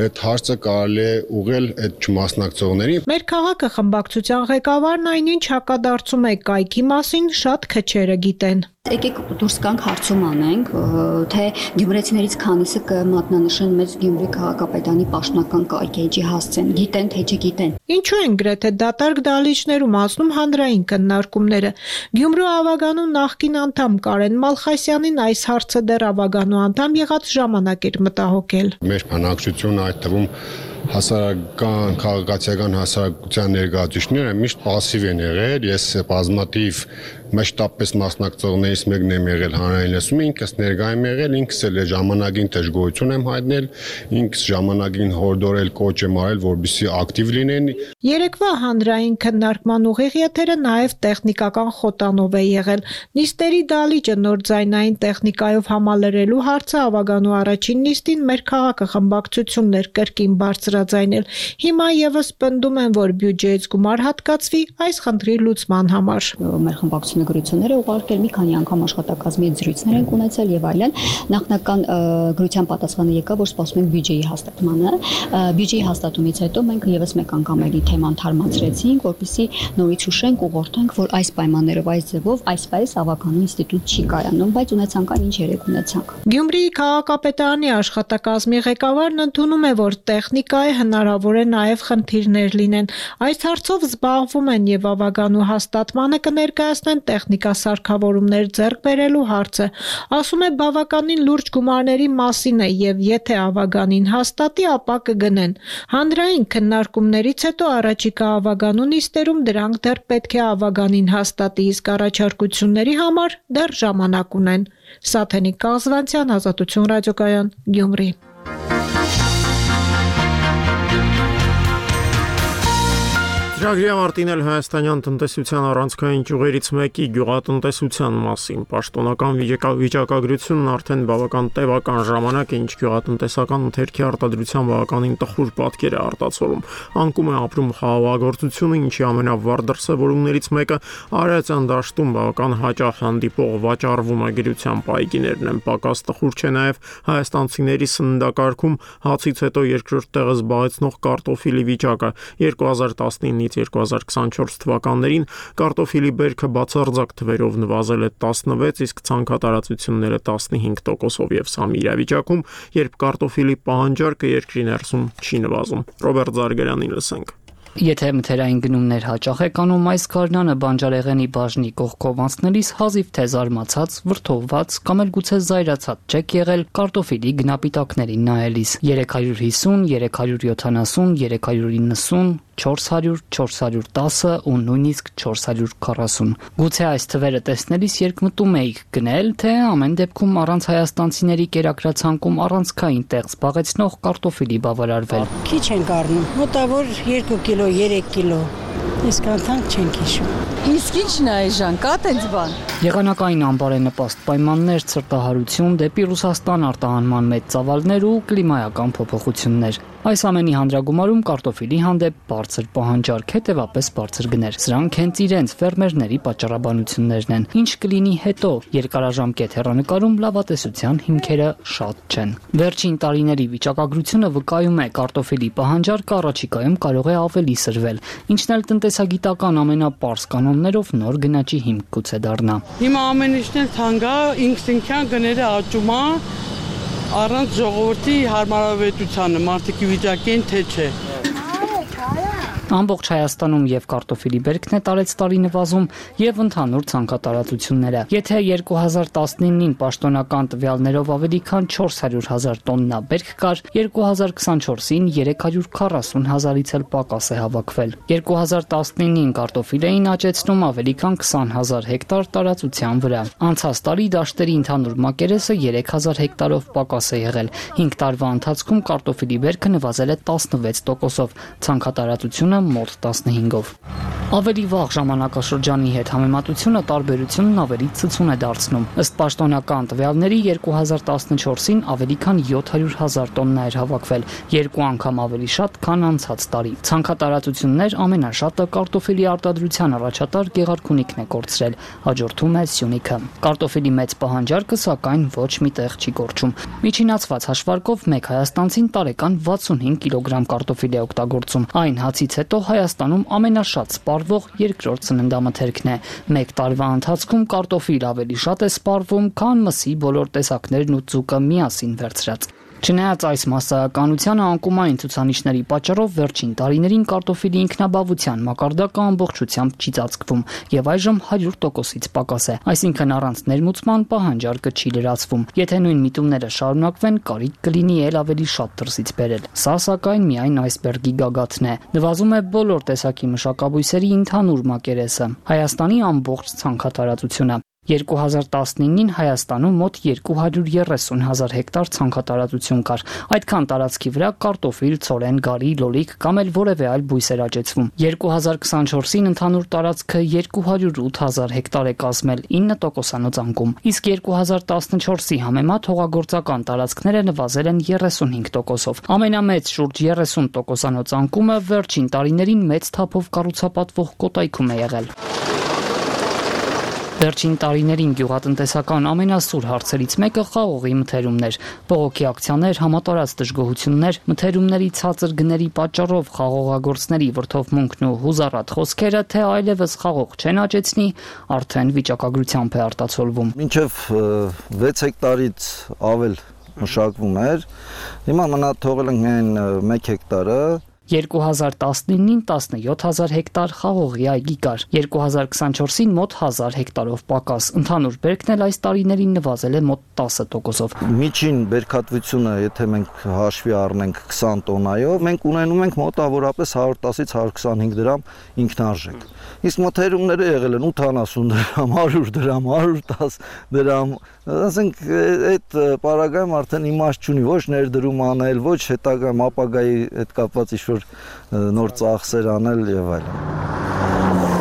[SPEAKER 25] այդ հարցը կարելի է ուղղել այդ չմասնակցողներին։
[SPEAKER 3] Մեր քաղաքը խմբակցության ղեկավարն այնինչ հակադարձում է կայքի մասին շատ քչերը գիտեն։
[SPEAKER 10] Եկեք դուրս գանք հարցում անենք, թե գյումրեցիներից քանիսը կմատնանշեն մեծ Գյումրի քաղաքապետարանի պաշտոնական կայքի հասցեն, գիտեն թե չգիտեն։
[SPEAKER 3] Ինչու են գրեթե դատարկ դահլիճներում անցնում հանրային քննարկումները։ Գյումրու ավագանու նախկին անդամ Կարեն Մալխասյանին այս հարցը դեռ ավագանու անդամ եղած ժամանակ էր մտահոգել։
[SPEAKER 25] Մեր բնակչությունը, այդ թվում հասարակական քաղաքացիական հասարակության ներկայացուցիչները միշտ пассив են եղել։ Ես բազմաթիվ մշտապես մասնակցողներից մեկն եմ եղել հանրային լսում, ինքս ներկայ եմ եղել, ինքս էլ ժամանակին դժգոհություն եմ հայտնել, ինքս ժամանակին հորդորել կոչ եմ արել, որպեսզի ակտիվ լինեն։
[SPEAKER 3] Երեկվա հանրային քննարկման ուղիղ եթերը նաև տեխնիկական խոտանով է եղել։ Նիստերի դահլիճը նոր ձայնային տեխնիկայով համալրելու հարցը ավագանու առաջին նիստին մեր քաղաքը խմբակցություններ կրկին բարձրաձայնել։ Հիմա եւս պնդում են, որ բյուջեից գումար հատկացվի այս խնդրի լուծման համար։
[SPEAKER 10] Մեր խմբակցությունը գրությունները ուղարկել, մի քանի անգամ աշխատակազմի զրույցներ են ունեցել եւ այլն։ Նախնական գրության պատասխանը եկավ, որ սպասում ենք բյուջեի հաստատմանը։ Բյուջեի հաստատումից հետո մենք եւս մեկ անգամ էլի թեման թարմացրեցինք, որպեսզի նորից հուշենք, ուղղորդենք, որ այս պայմաններով, այս ձևով, այսպես ավագանու ինստիտուտ չի կայանում, բայց ունեցանք այն, ինչ երեք ունեցանք։
[SPEAKER 3] Գյումրիի քաղաքապետարանի աշխատակազմի ղեկավարն ընդունում է, որ տեխնիկայի հնարավոր է նաև խնդիրներ լինեն։ Այս հարցով զբաղվում են եւ ավագանու հաստատմանը կներկայացնեն տեխնիկա սարքավորումներ ձեռք բերելու հարցը։ Ասում է բավականին լուրջ գումարների մասին է եւ եթե ավագանին հաստատի, ապա կգնեն։ Հանրային քննարկումներից հետո առաջիկա ավագանու նիստերում դրանք դեռ պետք է ավագանին հաստատի, իսկ առաջարկությունների համար դեռ ժամանակ ունեն։ Սաթենիկ Կազվանցյան, Ազատություն ռադիոկայան, Գյումրի։
[SPEAKER 1] Ծրագրի ավարտին հայաստանյան տնտեսության առանցքային ճյուղերից մեկի գյուղատնտեսության մասին։ Պաշտոնական վիճակագրությունն արդեն բավական տևական ժամանակ է, ինչ գյուղատնտեսական ընթերքի արտադրության բավականին տխուր պատկեր է արտացոլում։ Անկում է ապրում խաղաղագործությունը, ինչի ամենավառ դրսևորումներից մեկը Արարատյան դաշտում բավական հաճախ հանդիպող վաճառվում է գրության պայգիներն են։ Պակաս տխուր չէ նաև հայաստանցիների սննդակարգում հացից հետո երկրորդ տեղը զբաղեցնող կարտոֆիլի վիճակը։ 2019 2024 թվականներին կարտոֆիլի բերքը բացարձակ թվերով նվազել է 16, իսկ ցանքատարածությունները 15%-ով եւ սա մի իրավիճակում, երբ կարտոֆիլի պահանջարկը երկրի ներսում չի նվազում։ Ռոբերտ Զարգարյանին լսենք։
[SPEAKER 14] Եթե մթերային գնումներ հաճախ եք անում, այս գարնանը բանջարեղենի բաժնի կողքով անցնելիս հազիվ թե զարմացած, վրդովված կամ էլ գուցե զայրացած չեք եղել կարտոֆիլի գնապիտակներին նայելիս։ 350, 370, 390, 400, 410 ու նույնիսկ 440։ Գուցե այս թվերը տեսնելիս երկմտում էիք գնել, թե ամեն դեպքում առանց հայաստանցիների կերակրացանկում առանցքային տեղ զբաղեցնող կարտոֆիլի բավարարվել։
[SPEAKER 5] Քիչ ենք առնում, մոտավոր 2 կիլո, 3 կիլո։ Իսկ անթանք չենք հիշում։ Իսկ ի՞նչն է այժմ, կա տենց բան։
[SPEAKER 14] Եղանակային անբարենպաստ պայմաններ, ցրտահարություն, դեպի Ռուսաստան արտահանման մեծ ծավալներ ու կլիմայական փոփոխություններ։ Այս ամենի հանդրագումարում կարտոֆիլի հանդեպ բարձր պահանջարկ, հետևապես բարձր գներ։ Սրանք հենց իրենց ֆերմերների պատճառաբանություններն են։ Ինչ կլինի հետո, երկարաժամկետ հեռանկարում լավատեսության հիմքերը շատ չեն։ Վերջին տարիների վիճակագրությունը վկայում է, կարտոֆիլի պահանջարկը առաջիկայում կարող է ավելի սրվել, ինչն էլ տնտեսագիտական ամենապարզ կանոններով նոր գնաճի հիմք գուցե դառնա։
[SPEAKER 7] Հիմա ամեն ինչն էլ թանկ է, ինքնին գները աճում է առանց ժողովրդի հարմարավետությանը, մարդիկի վիճակին թե չէ։
[SPEAKER 14] Ամբողջ Հայաստանում եւ կարտոֆիլի բերքն է տարեց տարի նվազում եւ ընդհանուր ցանկատարածությունները։ Եթե 2019-ին պաշտոնական տվյալներով ավելի քան 400,000 տոննա բերք կար, 2024-ին 340,000-ից էլ պակաս է հավաքվել։ 2019-ին կարտոֆիլ էին աճեցնում ավելի քան 20,000 հեկտար տարածության վրա։ Անցած տարի դաշտերի ընդհանուր մակերեսը 3,000 հեկտարով պակաս է եղել։ 5 տարվա ընթացքում կարտոֆիլի բերքը նվազել է 16%-ով, ցանկատարածությունը Հայաստանը մոտ 15-ով։ Ավելի վաղ ժամանակաշրջանի հետ համեմատությունը տարբերությունն ավելի ցցուն է դարձնում։ Ըստ պաշտոնական տվյալների 2014-ին ավելի քան 700,000 տոննա էր հավաքվել, 2 անգամ ավելի շատ, քան անցած տարի։ Ցանքատարածություններ ամենաշատը կարտոֆիլի արտադրության առաջատար Գեղարքունիքն է կորցրել, հաջորդում է Սյունիքը։ Կարտոֆիլի մեծ պահանջարկը սակայն ոչ մի տեղ չի կորչում։ Միջինացված հաշվարկով մեկ հայաստանցին տարեկան 65 կիլոգրամ կարտոֆիլ է օգտագործում։ Այն հացից հետո Հայաստանում ամենաշատ սպառվող երկրորդ սննդամթերքն է։ Մեկ տարվա ընթացքում կարտոֆիլ ավելի շատ է սպառվում, քան մսի բոլոր տեսակներն ու ձուկը միասին վերցրած։ Չնայած այս մասսայականությանը անկումային ցուցանիշների պատճառով վերջին տարիներին կարտոֆիլի ինքնաբավության մակարդակը ամբողջությամբ չի ծածկվում եւ այժմ 100%-ից պակաս է, այսինքն առանց ներմուծման պահանջարկը չի լրացվում։ Եթե նույն միտումները շարունակվեն, կարիք կլինի ել ավելի շատ դրսից բերել։ Սա սակայն միայն այսբերգի գագաթն է։ Նվազում է բոլոր տեսակի մշակաբույսերի ընդհանուր մակերեսը, Հայաստանի ամբողջ ցանքատարածությունը։ 2019-ին Հայաստանում մոտ 230,000 հեկտար ցանքատարածություն կար։ Այդքան տարածքի վրա կարտոֆիլ, ցորեն, գարի, լոլիկ կամ էլ որևէ այլ բույս էր աճեցվում։ 2024-ին ընդհանուր տարածքը 208,000 հեկտար է կազմել, 9%-անոց անկում։ Իսկ 2014-ի համեմատ հողագործական տարածքները նվազել են 35%-ով։ Ամենամեծ շուրջ 30%-անոց անկումը վերջին տարիներին մեծ թափով կառուցապատվող Կոտայքում է եղել։ Վերջին տարիներին գյուղատնտեսական ամենասուր հարցերից մեկը խաղողի մթերումներ, բողոքի ակցիաներ, համատարած դժգոհություններ, մթերումների ցածր գների պատճառով խաղողագործների վրդովմունքն ու հուզառատ խոսքերը, թե այլևս խաղող չեն աճեցնի, արդեն վիճակագրությամբ է արտացոլվում։
[SPEAKER 6] Մինչև 6 հեկտարից ավել մշակվում էր, հիմա մնա թողել ենք միայն 1 հեկտարը։
[SPEAKER 14] 2019-ին 17,000 հեկտար խաղողի այգի կար, 2024-ին մոտ 1000 հեկտարով պակաս, ընդհանուր բերքն էլ այս տարիներին նվազել է մոտ 10%-ով։
[SPEAKER 6] Միջին բերքատվությունը, եթե մենք հաշվի առնենք 20 տոննայով, մենք ունենում ենք մոտավորապես 110-ից 125 դրամ ինքնարժեք։ Իսկ մթերումները եղել են 80 դրամ, 100 դրամ, 110 դրամ, ասենք այդ պարագայում արդեն իմաստ չունի ոչ ներդրում անել, ոչ հետագայում ապագայի հետ կապված ինչ-որ նոր ծախսեր անել եւ այլն։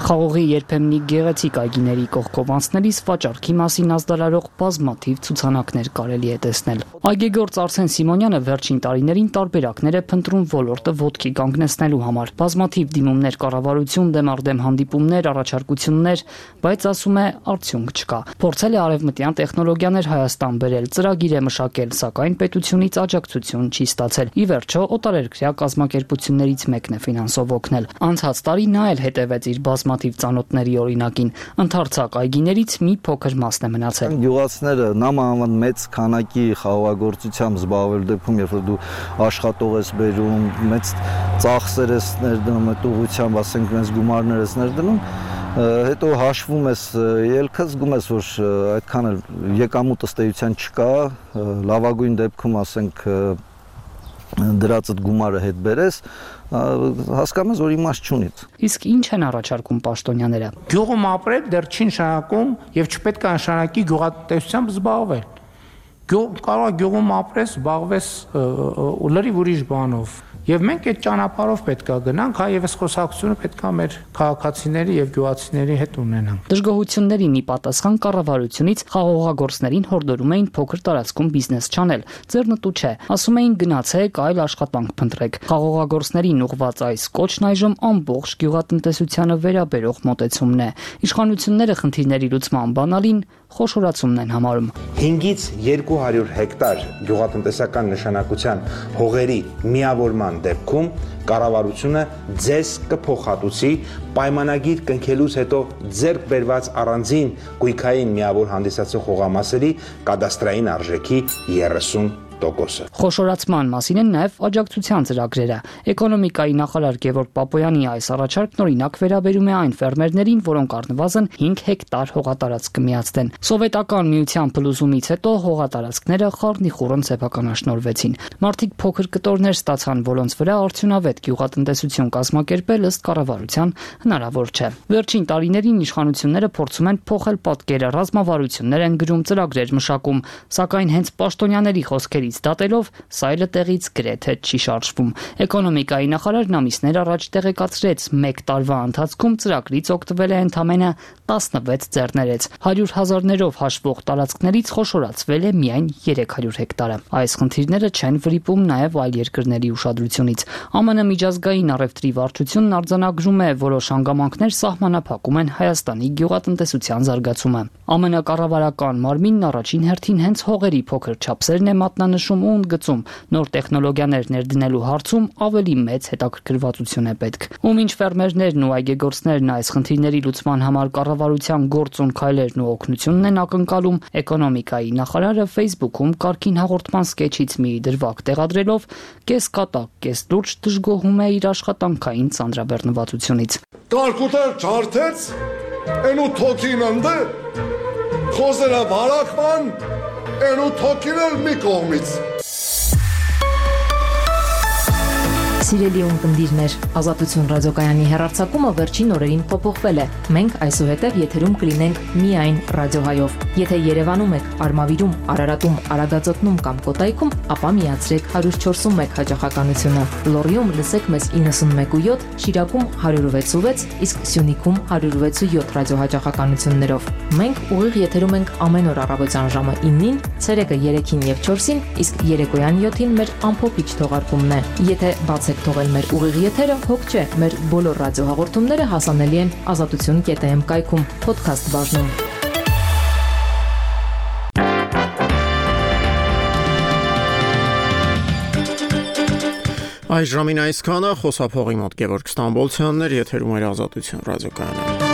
[SPEAKER 14] Խաղողի երբեմնի գեղեցիկ այգիների կողքով անցնելիս վաճառքի մասին ազդարարող բազմաթիվ ցուցանակներ կարելի է տեսնել։ Այգեգործ Արսեն Սիմոնյանը վերջին տարիներին տարբերակներ է փնտրում ոլորտը ոտքի կանգնեցնելու համար։ Բազմաթիվ դիմումներ կառավարություն դեմ առ դեմ հանդիպումներ, առաջարկություններ, բայց ասում է արդյունք չկա։ Փորձել է արևմտյան տեխնոլոգիաներ Հայաստան բերել, ծրագիր է մշակել, սակայն պետությունից աջակցություն չի ստացել։ Ի վերջո օտարերկրյա կազմակերպություններից մեկն է ֆինանսով օգնել։ Անցած տարի նա էլ հետևեց իր բազմաթիվ ծանոթների օրինակին, ընդարձակ այգիներից մի փոքր մասն է մնացել։
[SPEAKER 6] Գյուղացիները նամանավանդ մեծ քանակի խաղողագործությամբ զբաղվել դեպքում, երբ որ դու աշխատող ես բերում, մեծ ծախսեր ես ներդնում, այդ ուղղությամբ, ասենք, մեծ գումարներ ես ներդնում, հետո հաշվում ես ելքը, զգում ես, որ այդքան էլ եկամուտ ըստ էության չկա, լավագույն դեպքում, ասենք, դրածդ գումարը հետ բերես, հասկանում ես, որ իմաստ չունի։
[SPEAKER 14] Իսկ ինչ են առաջարկում պաշտոնյաները։
[SPEAKER 11] Գյուղում ապրել դեռ չի նշանակում եւ չպետք է նշանակի գյուղատնտեսությամբ զբաղվել։ Կարող է գյուղում ապրես, զբաղվես լրիվ ուրիշ բանով։ Եվ մենք այդ ճանապարհով պետք է գնանք, հայևս խոսակցությունը պետք է մեր քաղաքացիների եւ գյուղացիների հետ ունենանք։
[SPEAKER 14] Դժգոհություններին ի պատասխան կառավարությունից խաղողագործներին հորդորում էին փոքր տարածքում բիզնես չանել։ Ձեռնտու չէ, ասում էին գնացեք այլ աշխատանք փնտրեք։ Խաղողագործներին ուղղված այս կոչն այժմ ամբողջ գյուղատնտեսությանը վերաբերող մոտեցումն է։ Իշխանությունները խնդիրների լուծման բանալին խոշորացումն են համարում։
[SPEAKER 12] 5-ից 200 հեկտար գյուղատնտեսական նշանակության հողերի միավորման դեպքում կառավարությունը ձեզ կփոխհատուցի պայմանագիր կնքելուց հետո ձեռք բերված առանձին գույքային միավոր հանդիսացող հողամասերի կադաստրային արժեքի 30%։
[SPEAKER 14] Խոշորացման մասին են նաև աջակցության ծրագրերը։ Էկոնոմիկայի նախարար Գևորգ Պապոյանի այս առաջարկն օրինակ վերաբերում է այն ֆերմերներին, որոնք առնվազն 5 հեկտար հողատարածք կմիացնեն։ Սովետական միության փլուզումից հետո հողատարածքները խառնիխուռն սեփականաշնորհվեցին։ Մարդիկ փոքր կտորներ ստացան, որոնց վրա արդյունավետ գյուղատնտեսություն կազմակերպել ըստ կառավարության հնարավոր չէ։ Վերջին տարիներին իշխանությունները փորձում են փոխել պատկերը, ռազմավարություններ են գրում, ծրագրեր մշակում, սակայն հենց պաշտոնյաների խոսքերի նորից դատելով, սայլը տեղից գրեթե չի շարժվում։ Էկոնոմիկայի նախարարն ամիսներ առաջ տեղեկացրեց, 1 տարվա ընթացքում ծրագրից օգտվել է ընդամենը 16 ձեռներեց։ 100,000-ներով հաշվող տարածքներից խոշորացվել է միայն 300 հեկտարը։ Այս խնդիրները չեն վրիպում նաև այլ երկրների ուշադրությունից։ ԱՄՆ միջազգային առևտրի վարչությունն արձանագրում է, որոշ հանգամանքներ սահմանափակում են Հայաստանի գյուղատնտեսության զարգացումը։ ԱՄՆ կառավարական մարմինն առաջին հերթին հենց հողերի փոքր չափսերն է մատնանշում ու ընդգծում, նոր տեխնոլոգիաներ ներդնելու հարցում ավելի մեծ հետաքրքրվածություն է պետք։ Ու մինչ ֆերմերներն ու այգեգործներն այս խնդիրների լուծման համար կառավարության գործուն քայլերն ու օգնությունն են ակնկալում, էկոնոմիկայի նախարարը Facebook-ում կարգին հաղորդման սկեչից մի դրվագ տեղադրելով կես կատակ, կես լուրջ դժգոհում է իր աշխատանքային ծանրաբեռնվածությունից։
[SPEAKER 13] Կարկուտեր չարթեց, են ու թոքին ընդը, խոզերա վարակման, են ու թոքին էլ մի կողմից։
[SPEAKER 15] Սիրելի ունկնդիրներ, Ազատություն ռադիոկայանի հեռարձակումը վերջին օրերին փոփոխվել է։ Մենք այսուհետև եթերում կլինենք միայն ռադիոհայով։ Եթե Երևանում եք, Արմավիրում, Արարատում, Արագածոտնում կամ Կոտայքում, ապա միացրեք 104.1 հաճախականությունը։ Լոռիում լսեք մեզ 91.7, Շիրակում 106.6, իսկ Սյունիքում 106.7 ռադիոհաճախականություններով։ Մենք ուղիղ եթերում ենք ամեն օր առավոտյան ժամը 9-ին, ցերեկը 3-ին եւ 4-ին, իսկ երեկոյան 7-ին մեր ամփոփիչ թողարկումն է։ Եթե բացեք թողել մեր ուղիղ եթերը, հոգ չէ, մեր բոլոր ռադիոհաղորդումները հասանելի են azatutun.am կայքում, podcast բաժնում։
[SPEAKER 1] Այս ժամին այսքանը, խոսափողի մոտ Գևորգ Ստամբոլցյանն էր, եթերում էր Ազատություն ռադիոկայանը։